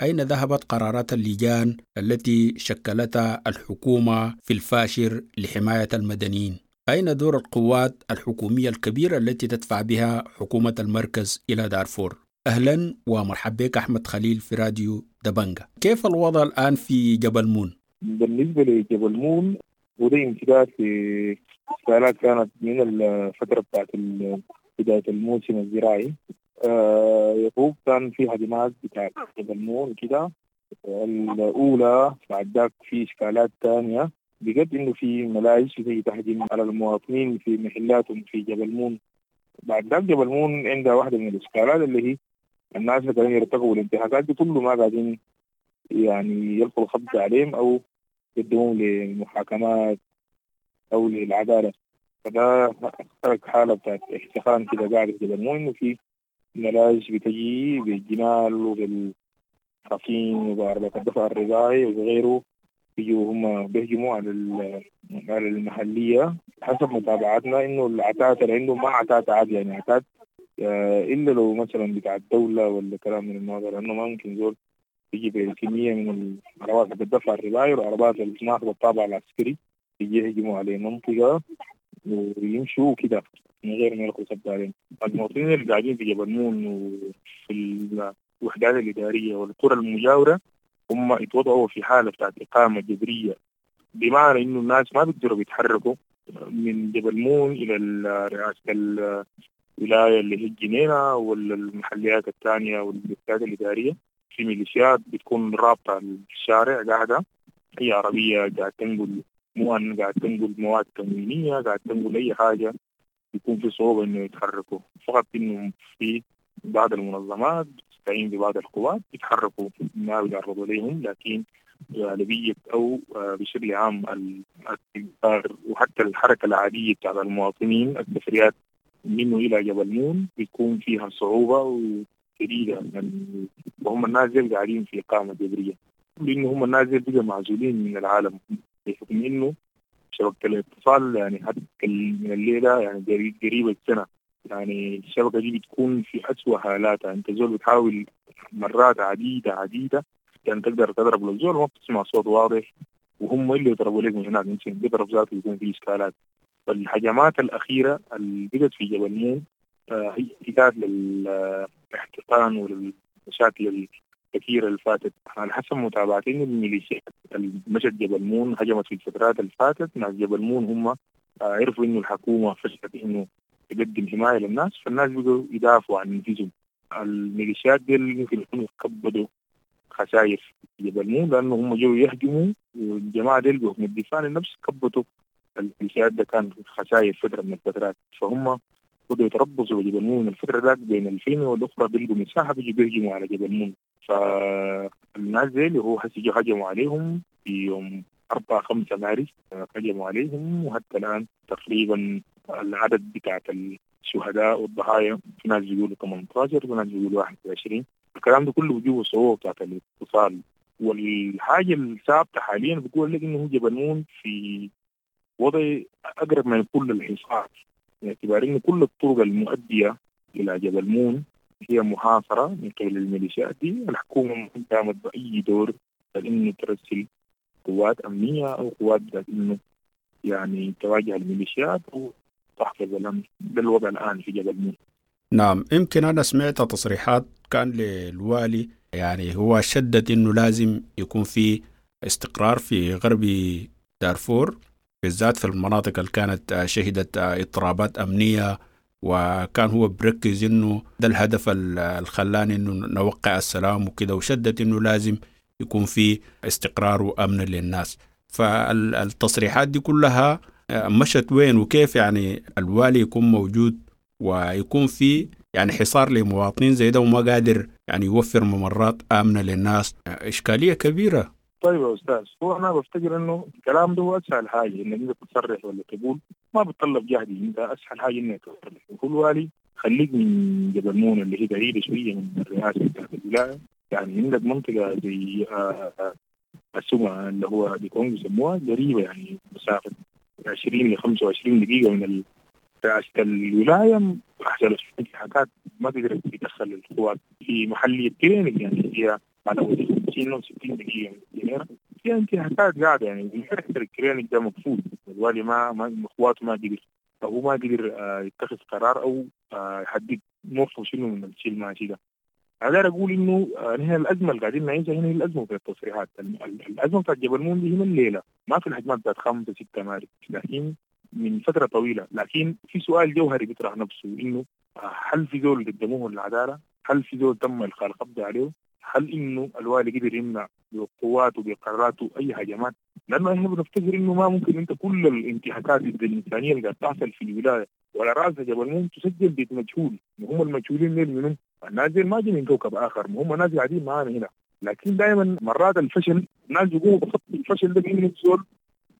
أين ذهبت قرارات اللجان التي شكلتها الحكومة في الفاشر لحماية المدنيين؟ أين دور القوات الحكومية الكبيرة التي تدفع بها حكومة المركز إلى دارفور؟ أهلا ومرحبا بك أحمد خليل في راديو دبنجة. كيف الوضع الآن في جبل مون؟ بالنسبة لجبل مون وده امتداد لإشكالات كانت من الفترة بتاعت بداية الموسم الزراعي. يقوب كان في هجمات بتاعت جبل مون كده الأولى، بعد ذاك في إشكالات ثانية بجد إنه في ملايش زي تهجم على المواطنين في محلاتهم في جبل مون. بعد ذاك جبل مون عندها واحدة من الإشكالات اللي هي الناس اللي قاعدين يرتكبوا الانتهاكات دي كله ما قاعدين يعني يلقوا القبض عليهم أو يقدمون للمحاكمات أو للعدالة. فده خلق حالة بتاعت احتقان كده قاعدة في جبل مون، إنه في ملايش بتجي بالجمال وبالحصين وبعربات الدفع الرباعي وغيره، بيجوا هم بيهجموا على المحلية. حسب متابعتنا إنه العتات اللي عندهم ما عتات عادي، يعني عتات إلا لو مثلا بتاع الدولة ولا كلام من النوع ده، لأنه ما ممكن زول يجي بكمية من العربات الدفع الرباعي والعربات اللي بتناخذ الطابع العسكري يجي يهجموا على منطقة ويمشوا كده من غير ما يلقوا قبض عليهم. المواطنين اللي قاعدين في جبل مون وفي الوحدات الإدارية والقرى المجاورة هم اتوضعوا في حالة بتاعت إقامة جبرية، بمعنى إنه الناس ما بيقدروا بيتحركوا من جبل مون إلى رئاسة الولاية اللي هي الجنينة ولا المحليات الثانية والوحدات الإدارية. في ميليشيات بتكون رابطة الشارع قاعدة، أي عربية قاعدة تنقل مؤن، قاعدة تنقل مواد تموينية، قاعدة تنقل أي حاجة، يكون في صعوبة إنه يتحركوا. فقط إنه في بعض المنظمات بتستعين ببعض القوات بيتحركوا ما بيتعرضوا لهم، لكن غالبية أو بشكل عام التجار وحتى الحركة العادية بتاع المواطنين السفريات منه إلى جبل مون بيكون فيها صعوبة وشديدة يعني، وهم الناس دي قاعدين في إقامة جبرية لأنه هم الناس دي بقى معزولين من العالم، بحكم إنه شبكة الاتصال يعني حتى من الليلة يعني قريبة السنة، يعني الشبكة دي بتكون في أسوأ حالاتها. أنت زول بتحاول مرات عديدة عديدة يعني تقدر تضرب للزول وما بتسمع صوت واضح، وهم اللي يضربوا لك من هناك، يمكن بيضرب ذاته يكون في إشكالات. فالهجمات الأخيرة اللي بقت في جبل مون هي امتداد للاحتقان وللمشاكل الكثيرة اللي فاتت. على حسب متابعتي إنه الميليشيات اللي مشت جبل مون هجمت في الفترات اللي فاتت، ناس جبل مون هم عرفوا إنه الحكومة فشلت إنه تقدم حماية للناس، فالناس بقوا يدافعوا عن نفسهم. الميليشيات دي ممكن يكونوا كبدوا خسائر في جبل مون لأنه هم جو يهجموا، والجماعة دي بحكم الدفاع عن النفس كبتوا الميليشيات. ده كان خسائر فترة من الفترات، فهم بدوا يتربصوا بجبل مون الفترة ذاك بين الفين والأخرى، بيلقوا مساحة بيجوا بيهجموا على جبل مون. فالناس دي اللي هو هسي جو هجموا عليهم في يوم 4-5 مارس، هجموا عليهم، وحتى الآن تقريبا العدد بتاعت الشهداء والضحايا في ناس بيقولوا 18 وناس بيقولوا 21. الكلام ده كله بيجيبوا صعوبة بتاعت الاتصال. والحاجة الثابتة حاليا بقول لك إنه جبل مون في وضع أقرب ما يكون للحصار، باعتبار إنه كل الطرق المؤدية إلى جبل مون هي محاصرة من قبل الميليشيات دي. الحكومة ما قامت بأي دور إنه ترسل قوات أمنية أو قوات بتاعت إنه يعني تواجه الميليشيات أو تحفظ الأمن. ده الوضع الآن في جبل مون. نعم، يمكن أنا سمعت تصريحات كان للوالي، يعني هو شدد إنه لازم يكون في استقرار في غرب دارفور، بالذات في المناطق اللي كانت شهدت اضطرابات أمنية، وكان هو بركز إنه ده الهدف اللي خلاني إنه نوقع السلام وكده، وشدد إنه لازم يكون في استقرار وأمن للناس. فالتصريحات دي كلها مشت وين وكيف يعني الوالي يكون موجود ويكون في يعني حصار لمواطنين زي ده وما قادر يعني يوفر ممرات آمنة للناس؟ إشكالية كبيرة. طيب يا أستاذ، هو أنا بفتكر إنه الكلام ده هو أسهل حاجة إنك أنت تصرح ولا تقول، ما بتطلب جهد، أنت أسهل حاجة إنك تصرح. وهو الوالي خليك من جبل مون اللي هي بعيدة شوية من الرئاسة بتاعت الولاية، يعني عندك منطقة زي السمعة اللي هو ديكونغ بيسموها، قريبة يعني مسافة 20 ل 25 دقيقة من رئاسة الولاية. أحسن انتهاكات ما تقدر تدخل القوات في محلية كلينك، يعني هي على 50 أو 60 دقيقة من الجنينة فيها انتهاكات قاعدة، يعني الكلينك ده مقفول، الوالي ما قواته ما قدر، أو ما قدر يتخذ قرار أو يحدد موقفه شنو من الشيء الماشي ده. أقدر أقول إنه نحن الأزمة اللي قاعدين نعيشها هنا هي الأزمة في التصريحات. الأزمة بتاعت جبل مون دي هنا الليلة ما في الهجمات بتاعت 5-6 مارس، لكن من فترة طويلة. لكن في سؤال جوهري بيطرح نفسه، إنه هل في زول قدموه للعدالة؟ هل في زول تم إلقاء القبض عليه؟ هل إنه الوالي قدر يمنع بقواته بقراراته أي هجمات؟ لأنه إحنا بنفتكر إنه ما ممكن أنت كل الانتهاكات ضد الإنسانية اللي قاعدة تحصل في الولاية ولا رأس جبل مون تسجل بيت مجهول. هم المجهولين ديل منهم؟ الناس ديل ما جي من كوكب آخر، هم ناس قاعدين معانا هنا. لكن دائما مرات الفشل الناس بيقوموا بخط الفشل ده بإنه زول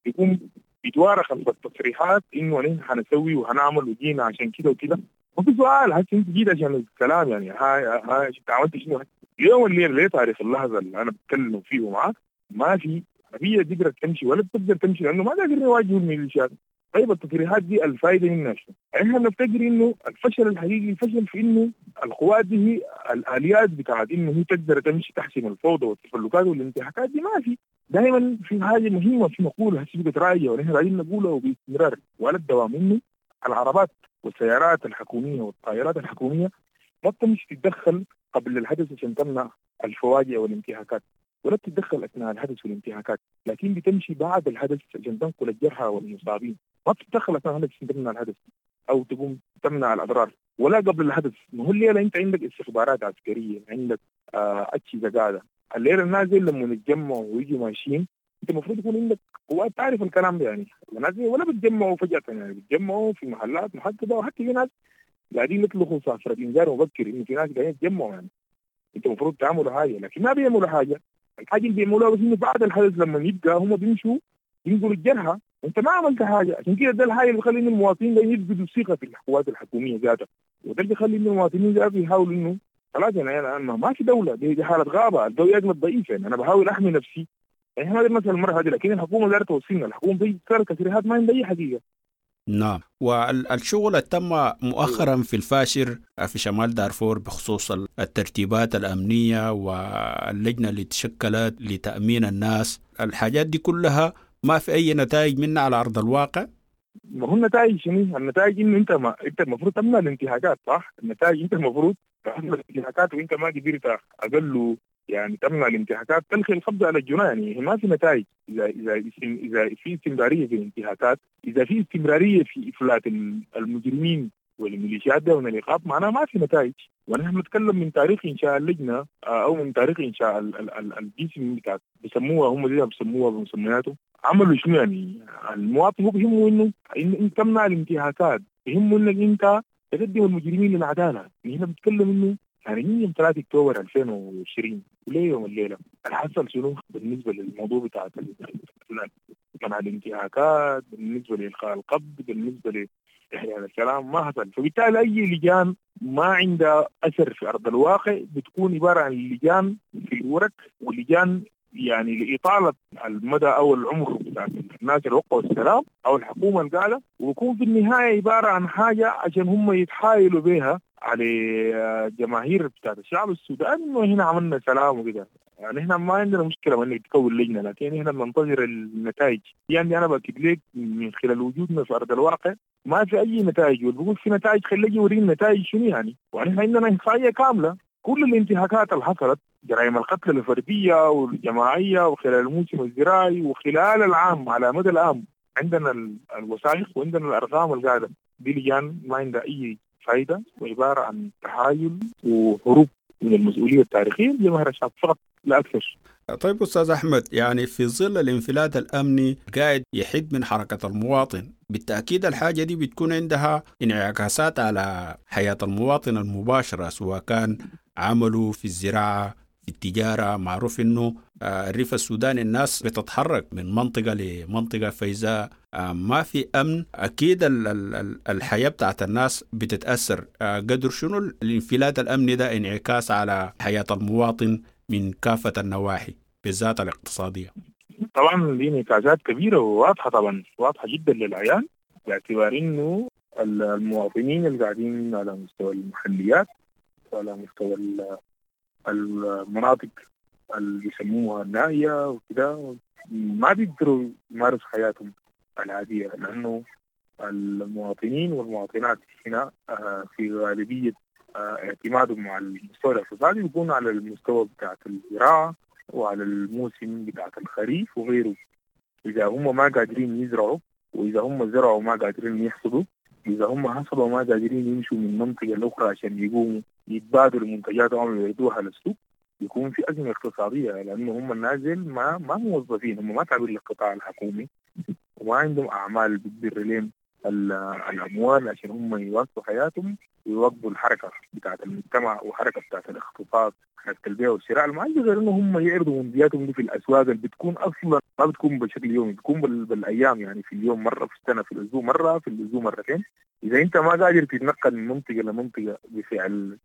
بيقوم بيتوارى خلف التصريحات انه نحن حنسوي وهنعمل وجينا عشان كده وكده. وفي سؤال هسه انت جيت عشان الكلام، يعني هاي انت عملت شنو اليوم الليل؟ ليه تاريخ اللحظه اللي انا بتكلم فيه معاك ما في عربيه تقدر تمشي ولا بتقدر تمشي لانه ما قادرين يواجهوا الميليشيات. طيب التصريحات دي الفائده منها شنو؟ احنا بنفتكر انه الفشل الحقيقي الفشل في انه القوات دي هي الاليات بتاعت انه هي تقدر تمشي تحسم الفوضى والتفلتات والانتهاكات دي ما في. دائما في حاجه مهمه في مقوله هسه بقت رايه ونحن قاعدين نقولها وباستمرار وعلى الدوام، انه العربات والسيارات الحكوميه والطائرات الحكوميه ما بتمشي تتدخل قبل الحدث عشان تمنع الفواجع والانتهاكات، ولا بتتدخل اثناء الحدث والانتهاكات، لكن بتمشي بعد الحدث عشان تنقل الجرحى والمصابين. ما بتتدخل اثناء الحدث عشان تمنع الحدث او تقوم تمنع الاضرار، ولا قبل الحدث. ما هو الليله انت عندك استخبارات عسكريه، عندك اجهزه قاعده. الليله الناس لما يتجمعوا ويجوا ماشيين انت المفروض يكون عندك قوات تعرف الكلام ده، يعني الناس ولا بتجمعوا فجاه، يعني بتجمعوا في محلات محدده، وحتى في ناس قاعدين يطلقوا صافرة انذار مبكر انه في ناس قاعدين يتجمعوا، يعني انت المفروض تعملوا حاجه، لكن ما بيعملوا حاجه. الحاجه اللي بيعملوها بس انه بعد الحدث لما يبقى هم بيمشوا ينقلوا الجرحى، انت ما عملت حاجه. عشان كده ده الحاجه اللي بيخلي ان المواطنين قاعدين يفقدوا الثقه في القوات الحكوميه ذاتها، وده اللي بيخلي ان المواطنين ذاتهم يحاولوا انه خلاص يعني انا ما في دوله، دي حاله غابه، الدوله ازمه ضعيفه، يعني انا بحاول احمي نفسي. يعني احنا ما مثلا المره هذه، لكن الحكومه دارت توصلنا، الحكومه دي صارت تصريحات ما عندها اي حقيقه. نعم، والشغل تم مؤخرا في الفاشر في شمال دارفور بخصوص الترتيبات الأمنية واللجنة اللي تشكلت لتأمين الناس، الحاجات دي كلها ما في أي نتائج منها على أرض الواقع؟ ما هو النتائج شنو؟ النتائج انه انت ما انت المفروض تمنع الانتهاكات، صح؟ النتائج انت المفروض تمنع الانتهاكات وانت ما قدرت اقل يعني تمنع الانتهاكات تلقي القبض على الجناة. يعني ما في نتائج اذا في استمرارية في الانتهاكات، اذا في استمرارية في افلات المجرمين والميليشيات ده من العقاب، معناها ما في نتائج. ونحن نتكلم من تاريخ انشاء اللجنة او من تاريخ انشاء الجسم بتاع بيسموها هم زي بيسموها بمسمياته، عملوا شنو؟ يعني المواطن هو بيهمه انه انت تمنع الانتهاكات، بيهمه انك انت تقدم المجرمين للعدالة. هنا بنتكلم انه يعني من يوم 3 اكتوبر 2020 وليوم الليلة الحصل شنو بالنسبة للموضوع بتاع منع الانتهاكات، بالنسبة لالقاء القبض، بالنسبة لإحلال السلام، ما حصل. فبالتالي اي لجان ما عندها اثر في ارض الواقع بتكون عبارة عن لجان في الورق، ولجان يعني لإطالة المدى أو العمر بتاع الناس اللي وقعوا السلام أو الحكومة القاعدة، ويكون في النهاية عبارة عن حاجة عشان هم يتحايلوا بها على جماهير بتاعت الشعب السوداني إنه هنا عملنا سلام وكده. يعني احنا ما عندنا مشكلة انك تكون لجنة، لكن احنا بننتظر النتائج. يعني أنا بأكد لك من خلال وجودنا في أرض الواقع ما في أي نتائج، واللي بيقول في نتائج خليه يورينا نتائج شنو يعني. وإحنا عندنا إحصائية كاملة كل الانتهاكات اللي حصلت، جرائم القتل الفردية والجماعية وخلال الموسم الزراعي وخلال العام على مدى العام، عندنا الوثائق وعندنا الأرقام القاعدة. دي لجان ما عندها أي فائدة وعبارة عن تحايل وهروب من المسؤولية التاريخية لجماهير الشعب فقط لا أكثر. طيب أستاذ أحمد، يعني في ظل الانفلات الأمني قاعد يحد من حركة المواطن، بالتأكيد الحاجة دي بتكون عندها انعكاسات على حياة المواطن المباشرة، سواء كان عمله في الزراعة، في التجارة. معروف إنه الريف السوداني الناس بتتحرك من منطقة لمنطقة، فإذا ما في أمن أكيد الحياة بتاعت الناس بتتأثر. قدر شنو الانفلات الأمني ده انعكاس على حياة المواطن من كافة النواحي بالذات الاقتصادية؟ طبعا دي انعكاسات كبيرة وواضحة، طبعا واضحة جدا للعيان، باعتبار إنه المواطنين اللي قاعدين على مستوى المحليات وعلى مستوى المناطق اللي يسموها النائية وكده ما بيقدروا يمارسوا حياتهم العادية، لأنه المواطنين والمواطنات هنا في غالبية اعتمادهم على المستوى الاقتصادي بيكون على المستوى بتاع الزراعة وعلى الموسم بتاع الخريف وغيره. إذا هم ما قادرين يزرعوا، وإذا هم زرعوا ما قادرين يحصدوا، إذا هم حصدوا ما قادرين يمشوا من منطقة لأخرى عشان يقوموا يتبادلوا منتجاتهم ويردوها للسوق، يكون في أزمة اقتصادية، لأنه هم النازل ما موظفين، هم ما تابعين للقطاع الحكومي وما عندهم أعمال بتدر لهم الأموال عشان هم يواصلوا حياتهم ويواكبوا الحركة بتاعة المجتمع وحركة بتاعة الاقتصاد، حركة البيع والشراء. ما عندي غير إنه هم يعرضوا منتجاتهم دي في الأسواق اللي بتكون أصلا ما بتكون بشكل يومي، بتكون بالأيام، يعني في اليوم مرة، في السنة، في الأسبوع مرة، في الأسبوع مرتين. إذا أنت ما قادر تتنقل من منطقة لمنطقة بفعل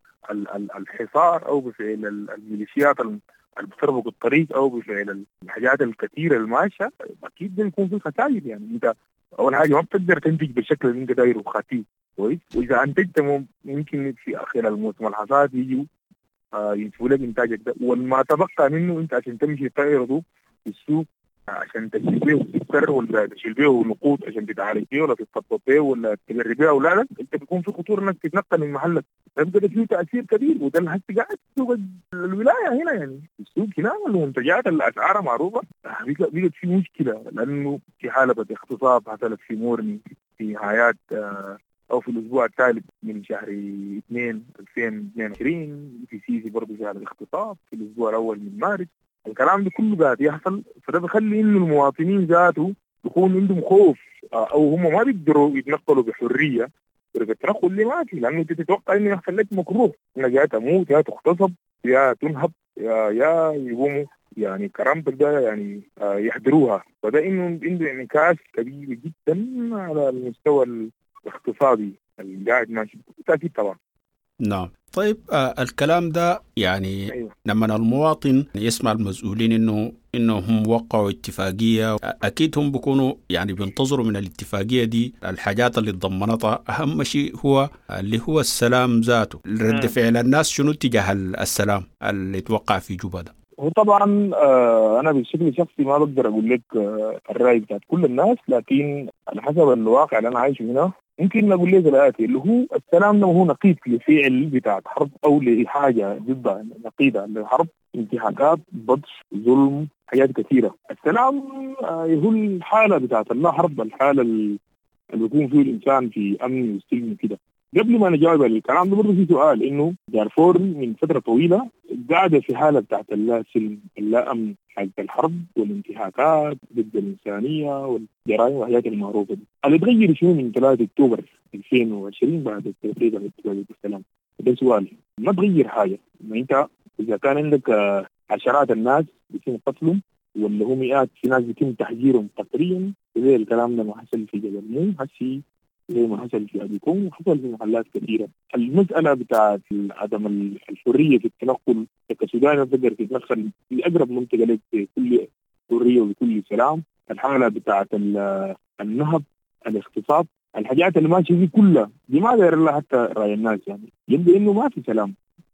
الحصار أو بفعل الميليشيات اللي بتربط الطريق أو بفعل الحاجات الكثيرة الماشية، أكيد ده بيكون في خسائر. يعني أنت أول حاجة ما بتقدر تنتج بالشكل اللي أنت دايرة وخاتيه كويس، وإذا أنتجت ممكن في آخر الموسم الحصاد يجوا ينسوا لك إنتاجك ده، وما تبقى منه أنت عشان تمشي تعرضه في السوق عشان تشيل بيه سكر ولا تشيل بيه نقود عشان تتعالج بيه ولا تتطبط بيه ولا تجري بيه أولادك، أنت بيكون في خطورة إنك تتنقل من محلك. فبقى فيه تأثير كبير، وده اللي هسه قاعد في سوق الولاية هنا. يعني السوق هنا المنتجات الأسعار معروفة، بقت في مشكلة، لأنه في حالة اغتصاب حصلت في مورني في نهايات أو في الأسبوع الثالث من شهر 2 2022، في سيسي برضه في حالة اغتصاب في الأسبوع الأول من مارس. الكلام ده كله قاعد يحصل، فده بيخلي إنه المواطنين ذاته بيكون عندهم خوف، أو هم ما بيقدروا يتنقلوا بحرية. التنقل اللي ما في، لأنه أنت تتوقع إنه يحصل لك مكروه، إنك يا تموت يا تغتصب يا تنهب يا يقوموا يعني كرامتك ده يعني يحضروها. فده إنه عنده انعكاس كبير جدا على المستوى الاقتصادي اللي قاعد ماشي بالتأكيد طبعا. نعم. طيب الكلام ده يعني أيوة. لما المواطن يسمع المسؤولين انه هم وقعوا اتفاقية، اكيد هم بيكونوا يعني بينتظروا من الاتفاقية دي الحاجات اللي تضمنتها. اهم شيء هو اللي هو السلام ذاته. رد فعل الناس شنو تجاه السلام اللي توقع في جوبا ده؟ هو طبعا انا بشكل شخصي ما بقدر اقول لك الراي بتاعت كل الناس، لكن على حسب الواقع اللي انا عايشه هنا ممكن اقول لك الاتي، اللي هو السلام ده هو نقيض لفعل بتاع حرب او لحاجة ضد نقيضه للحرب، انتهاكات، بطش، ظلم، حاجات كثيرة. السلام هو الحالة بتاعت اللا حرب، الحالة اللي بيكون فيه الانسان في امن وسلم كده. قبل ما نجاوب على الكلام ده برضه في سؤال، انه دارفور من فترة طويلة قاعدة في حاله بتاعت اللا سلم، اللا امن، حاله الحرب والانتهاكات ضد الانسانية والجرائم والحاجات المعروفة دي. اللي تغير شنو من 3 اكتوبر 2020 بعد التوقيع على اتفاقية السلام؟ ده سؤال. ما تغير حاجة. ما انت اذا كان عندك عشرات الناس بيتم قتلهم، ولا هو مئات في ناس بيتم تحجيرهم قسريا، زي الكلام ده ما حصل في جبل مون، هسي زي ما حصل في أبيكون، وحصل في محلات كثيرة. المسألة بتاعت عدم الحرية في التنقل، كسوداني تقدر تتنقل في أقرب منطقة لك بكل حرية وبكل سلام. الحالة بتاعت النهب، الاغتصاب، الحاجات اللي ماشية دي كلها دي ما داير لها حتى رأي الناس، يعني يبدو إنه ما في سلام.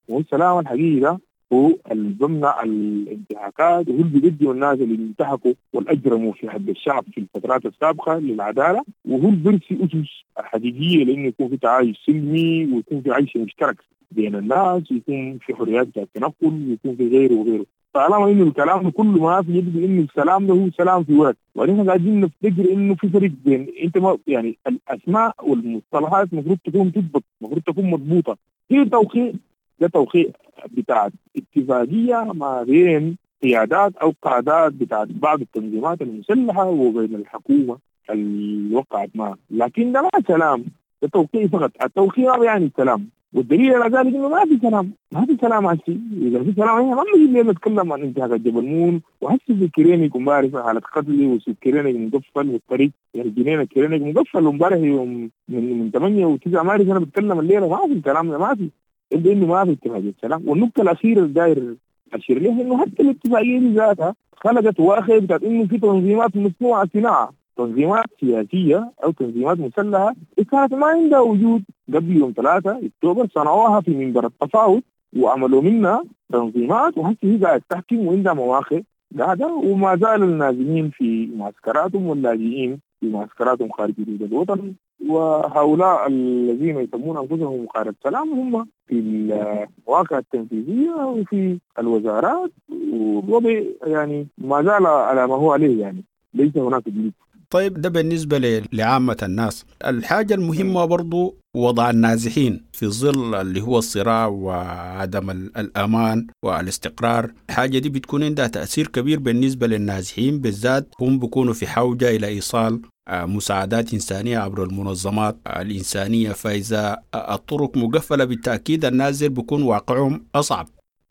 والسلام الحقيقي ده هو اللي بمنع الانتهاكات، وهو اللي بيدي الناس اللي انتهكوا والاجرموا في حق الشعب في الفترات السابقة للعدالة، وهو اللي بيرسي اسس حقيقية لانه يكون في تعايش سلمي ويكون في عيش مشترك بين الناس، ويكون في حريات بتاعت التنقل، ويكون في غيره وغيره. طالما انه الكلام كله ما في، يبدو انه السلام ده هو سلام في ورق. وبعدين قاعدين نفتكر انه في فرق بين انت ما يعني الاسماء والمصطلحات المفروض تكون تضبط، المفروض تكون مضبوطة. في توقيع، ده توقيع بتاع اتفاقية ما بين قيادات أو قادات بتاع بعض التنظيمات المسلحة وبين الحكومة اللي وقعت معها، لكن ده ما سلام، ده توقيع فقط. التوقيع ما يعني السلام، والدليل على ذلك انه ما في سلام، ما في سلام هسي. اذا في سلام احنا ما بنجي نتكلم عن انتهاك جبل مون، وهسي في كرينيك امبارح في حاله قتل، وسوق كرينيك مقفل، والطريق يعني جنينة كرينيك مقفل امبارح يوم من 8 و9 مارس. انا بتكلم الليلة ما في الكلام ده، ما في، يبدو انه ما في اتفاقية سلام. والنقطة الاخيرة اللي داير اشير لها انه حتى الاتفاقية دي ذاتها خلقت واقع بتاعت انه في تنظيمات مصنوعة صناعة، تنظيمات سياسية او تنظيمات مسلحة كانت ما عندها وجود قبل يوم 3 اكتوبر، صنعوها في منبر التفاوض وعملوا منها تنظيمات، وهسه هي قاعدة تحكم وعندها مواقع قاعدة، وما زال النازحين في معسكراتهم واللاجئين في معسكراتهم خارج حدود الوطن. وهؤلاء الذين يسمون انفسهم قادة سلام هم في المواقع التنفيذية وفي الوزارات، والوضع يعني ما زال على ما هو عليه، يعني ليس هناك جديد. طيب ده بالنسبة لعامة الناس. الحاجة المهمة برضو وضع النازحين في ظل اللي هو الصراع وعدم الأمان والاستقرار، الحاجة دي بتكون عندها تأثير كبير بالنسبة للنازحين، بالذات هم بيكونوا في حوجة إلى إيصال مساعدات إنسانية عبر المنظمات الإنسانية، فإذا الطرق مقفلة بالتأكيد النازل بيكون واقعهم أصعب.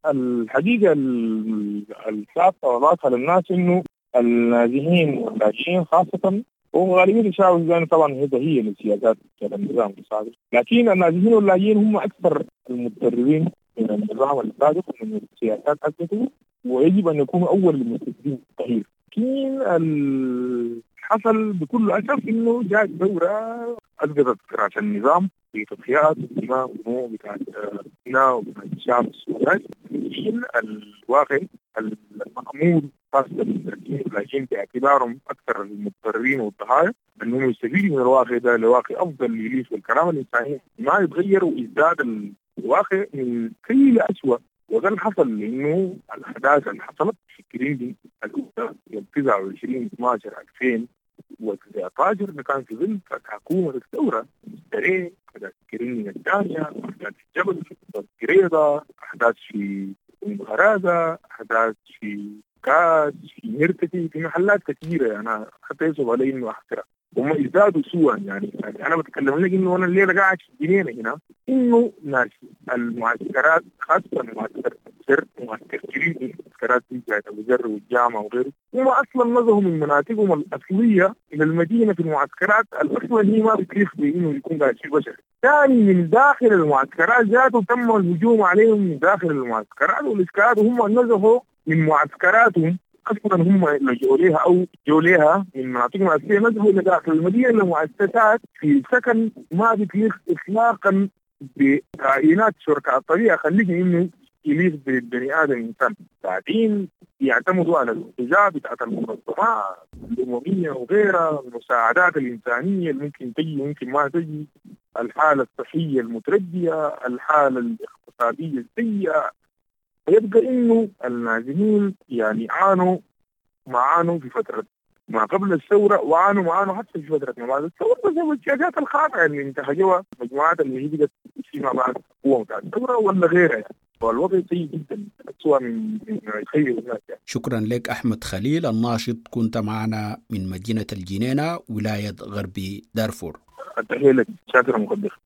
الحقيقة الصعب واضحة للناس إنه النازحين واللاجئين خاصة وغالبية الشعب السوداني طبعا هي من سياسات النظام السابق، لكن النازحين واللاجئين هم أكثر المتضررين من النظام السابق ومن السياسات حقته، ويجب أن يكونوا أول المستفيدين التغيير. لكن حصل بكل أسف إنه جاءت دورة أسقطت فراش النظام في تضحيات ودماء ودموع بتاعت وبتاعت الشعب السوداني. لكن الواقع المأمول خاصة باللاجئين باعتبارهم أكثر المتضررين والضحايا أنهم يستفيدوا من الواقع ده لواقع أفضل يليق بالكرامة الإنسانية، ما يتغير ويزداد الواقع من سيء لأسوأ. وده اللي حصل، لأنه الأحداث اللي حصلت في كريندي الأولى يوم 29/12/2019 ده كان في ظل حكومة الثورة مستريح، أحداث كريندي الثانية، أحداث في الجبل، أحداث كريضة، أحداث في أم غرازة، أحداث في كاس، في ميرتتي، في محلات كثيرة أنا حتى يصعب علي إنه أحكرها. هم ازدادوا سوءا. يعني انا بتكلم لك انه انا الليلة قاعد في الجنينة هنا، انه ناس المعسكرات خاصة معسكر السر ومعسكر كريم، معسكرات بتاعت ابو ذر والجامعة وغيره، هم اصلا نزلوا من مناطقهم الاصلية الى المدينة في المعسكرات الاصلا هي ما بتليق بانه يكون قاعد في بشر. ثاني من داخل المعسكرات ذاته تم الهجوم عليهم من داخل المعسكرات والاسكات، وهم نزلوا من معسكراتهم اصلا هم لجؤوا ليها او جو ليها من مناطقهم الاساسية، نزلوا الى داخل المدينة لمؤسسات في سكن ما بتليق اطلاقا بتعيينات شركاء الطبيعة. خليك انه يليق بالبني ادم انسان. بعدين يعتمدوا على الغذاء بتاعت المنظمات الاممية وغيرها، المساعدات الانسانية اللي ممكن تجي ممكن ما تجي، الحالة الصحية المترديه، الحالة الاقتصادية السيئة. فيبقى انه النازحين يعني عانوا معانوا في فترة ما قبل الثورة، وعانوا معانوا حتى في فترة ما بعد الثورة بسبب السياسات الخاطئة اللي انتهجوها المجموعات اللي هي بقت فيما بعد قوة بتاع الثورة ولا غيرها يعني. والوضع سيء جدا، أسوأ من ما يتخيل الناس يعني. شكرا لك أحمد خليل الناشط، كنت معنا من مدينة الجنينة ولاية غربي دارفور. التحية لك، شاكر مقدر.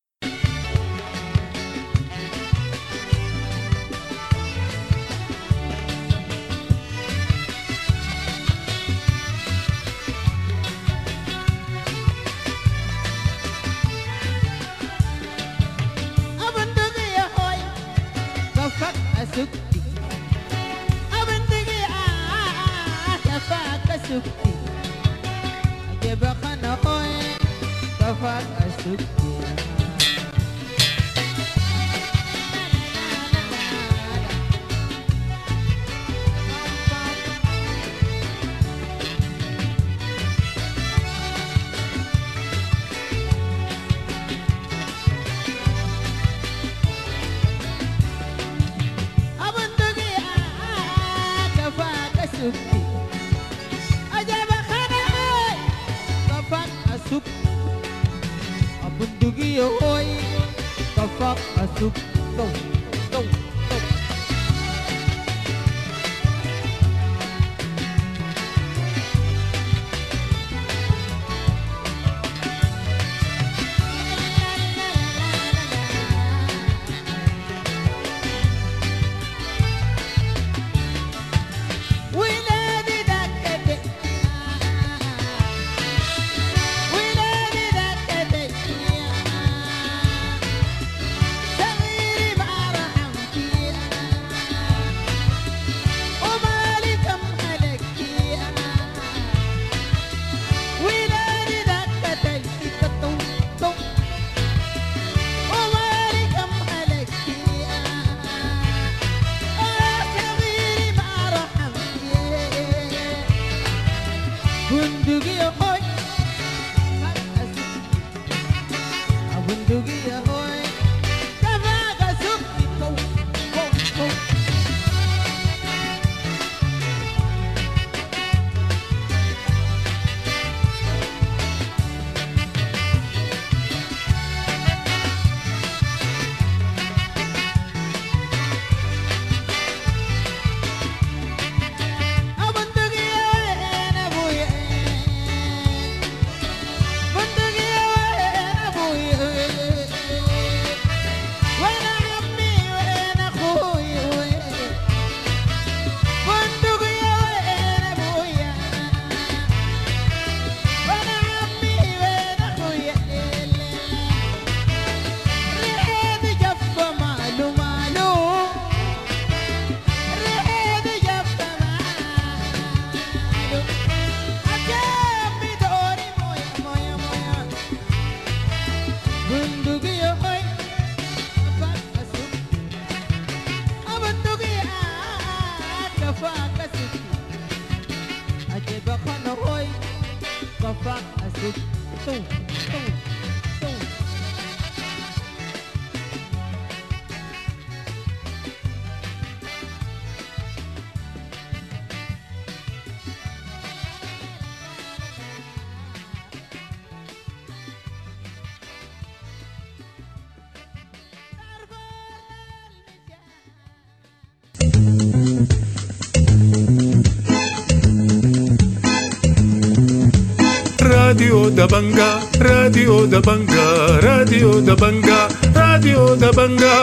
راديو دبنجا، راديو دبنجا، راديو دبنجا، راديو دبنجا.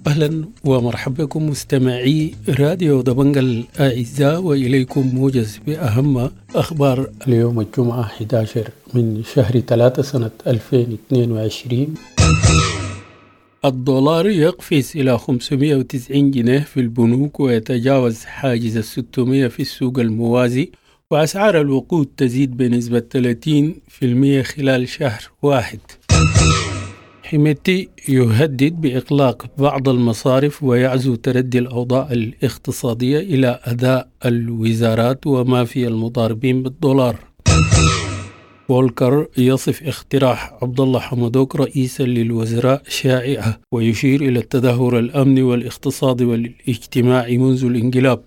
أهلا ومرحبا بكم مستمعي راديو دبنجا الأعزاء، وإليكم موجز بأهم أخبار اليوم الجمعة 11 من شهر 3 سنة 2022. الدولار يقفز إلى 590 جنيه في البنوك ويتجاوز حاجز 600 في السوق الموازي، وأسعار الوقود تزيد بنسبة 30% خلال شهر واحد. حميدتي يهدد بإغلاق بعض المصارف ويعزو تردي الأوضاع الاقتصادية إلى أداء الوزارات ومافيا المضاربين بالدولار. فولكر يصف اقتراح عبد الله حمدوك رئيسا للوزراء شائعة، ويشير إلى التدهور الأمني والاقتصادي والاجتماعي منذ الانقلاب.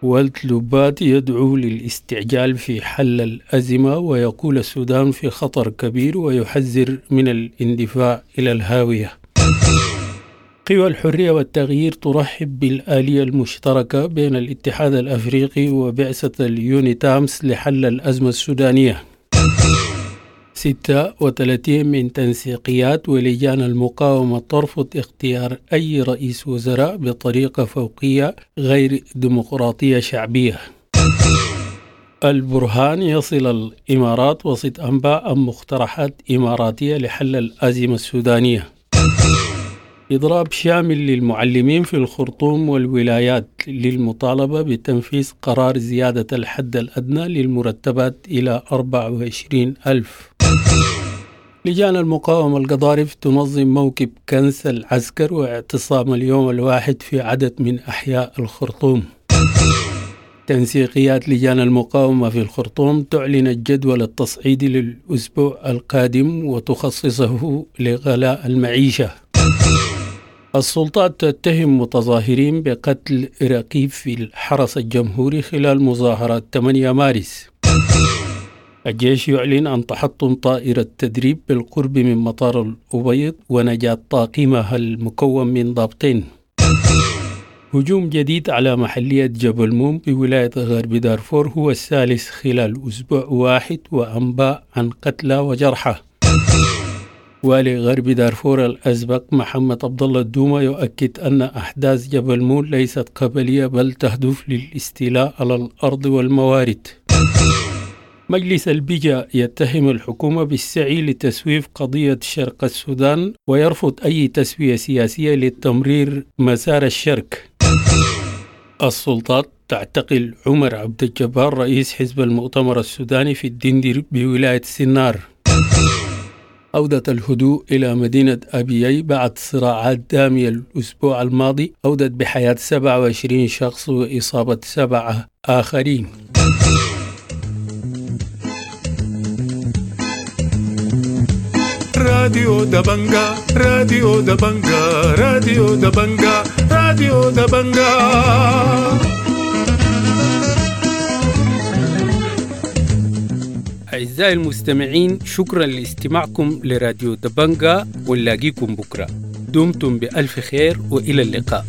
والت لوبات يدعو للاستعجال في حل الأزمة، ويقول السودان في خطر كبير، ويحذر من الاندفاع إلى الهاوية. قوى الحرية والتغيير ترحب بالآلية المشتركة بين الاتحاد الأفريقي وبعثة اليونيتامس لحل الأزمة السودانية. 36 من تنسيقيات ولجان المقاومة ترفض اختيار أي رئيس وزراء بطريقة فوقية غير ديمقراطية شعبية. البرهان يصل الإمارات وسط أنباء عن مقترحات إماراتية لحل الأزمة السودانية. إضراب شامل للمعلمين في الخرطوم والولايات للمطالبة بتنفيذ قرار زيادة الحد الأدنى للمرتبات إلى 24 ألف. لجان المقاومة القضارف تنظم موكب كنس العسكر واعتصام اليوم الواحد في عدد من أحياء الخرطوم. تنسيقيات لجان المقاومة في الخرطوم تعلن الجدول التصعيدي للأسبوع القادم وتخصصه لغلاء المعيشة. السلطات تتهم متظاهرين بقتل رقيب في الحرس الجمهوري خلال مظاهرات 8 مارس. الجيش يعلن عن تحطم طائرة تدريب بالقرب من مطار الأبيض ونجاة طاقمها المكون من ضابطين. هجوم جديد على محلية جبل موم بولاية غرب دارفور هو الثالث خلال أسبوع واحد، وأنباء عن قتلى وجرحى. والي غرب دارفور الأسبق محمد عبد الله الدومة يؤكد أن أحداث جبل مون ليست قبلية بل تهدف للاستيلاء على الأرض والموارد. مجلس البجا يتهم الحكومة بالسعي لتسويف قضية شرق السودان ويرفض أي تسوية سياسية لتمرير مسار الشرق. السلطات تعتقل عمر عبد الجبار رئيس حزب المؤتمر السوداني في الدندر بولاية سنار. عودة الهدوء إلى مدينة أبيي بعد صراعات دامية الأسبوع الماضي أودت بحياة 27 شخص وإصابة 7 آخرين. راديو دبنجا، راديو دبنجا، راديو دبنجا، راديو دبنجا. أعزائي المستمعين، شكرا لاستماعكم لراديو دبنجا، ونلاقيكم بكرة. دمتم بألف خير وإلى اللقاء.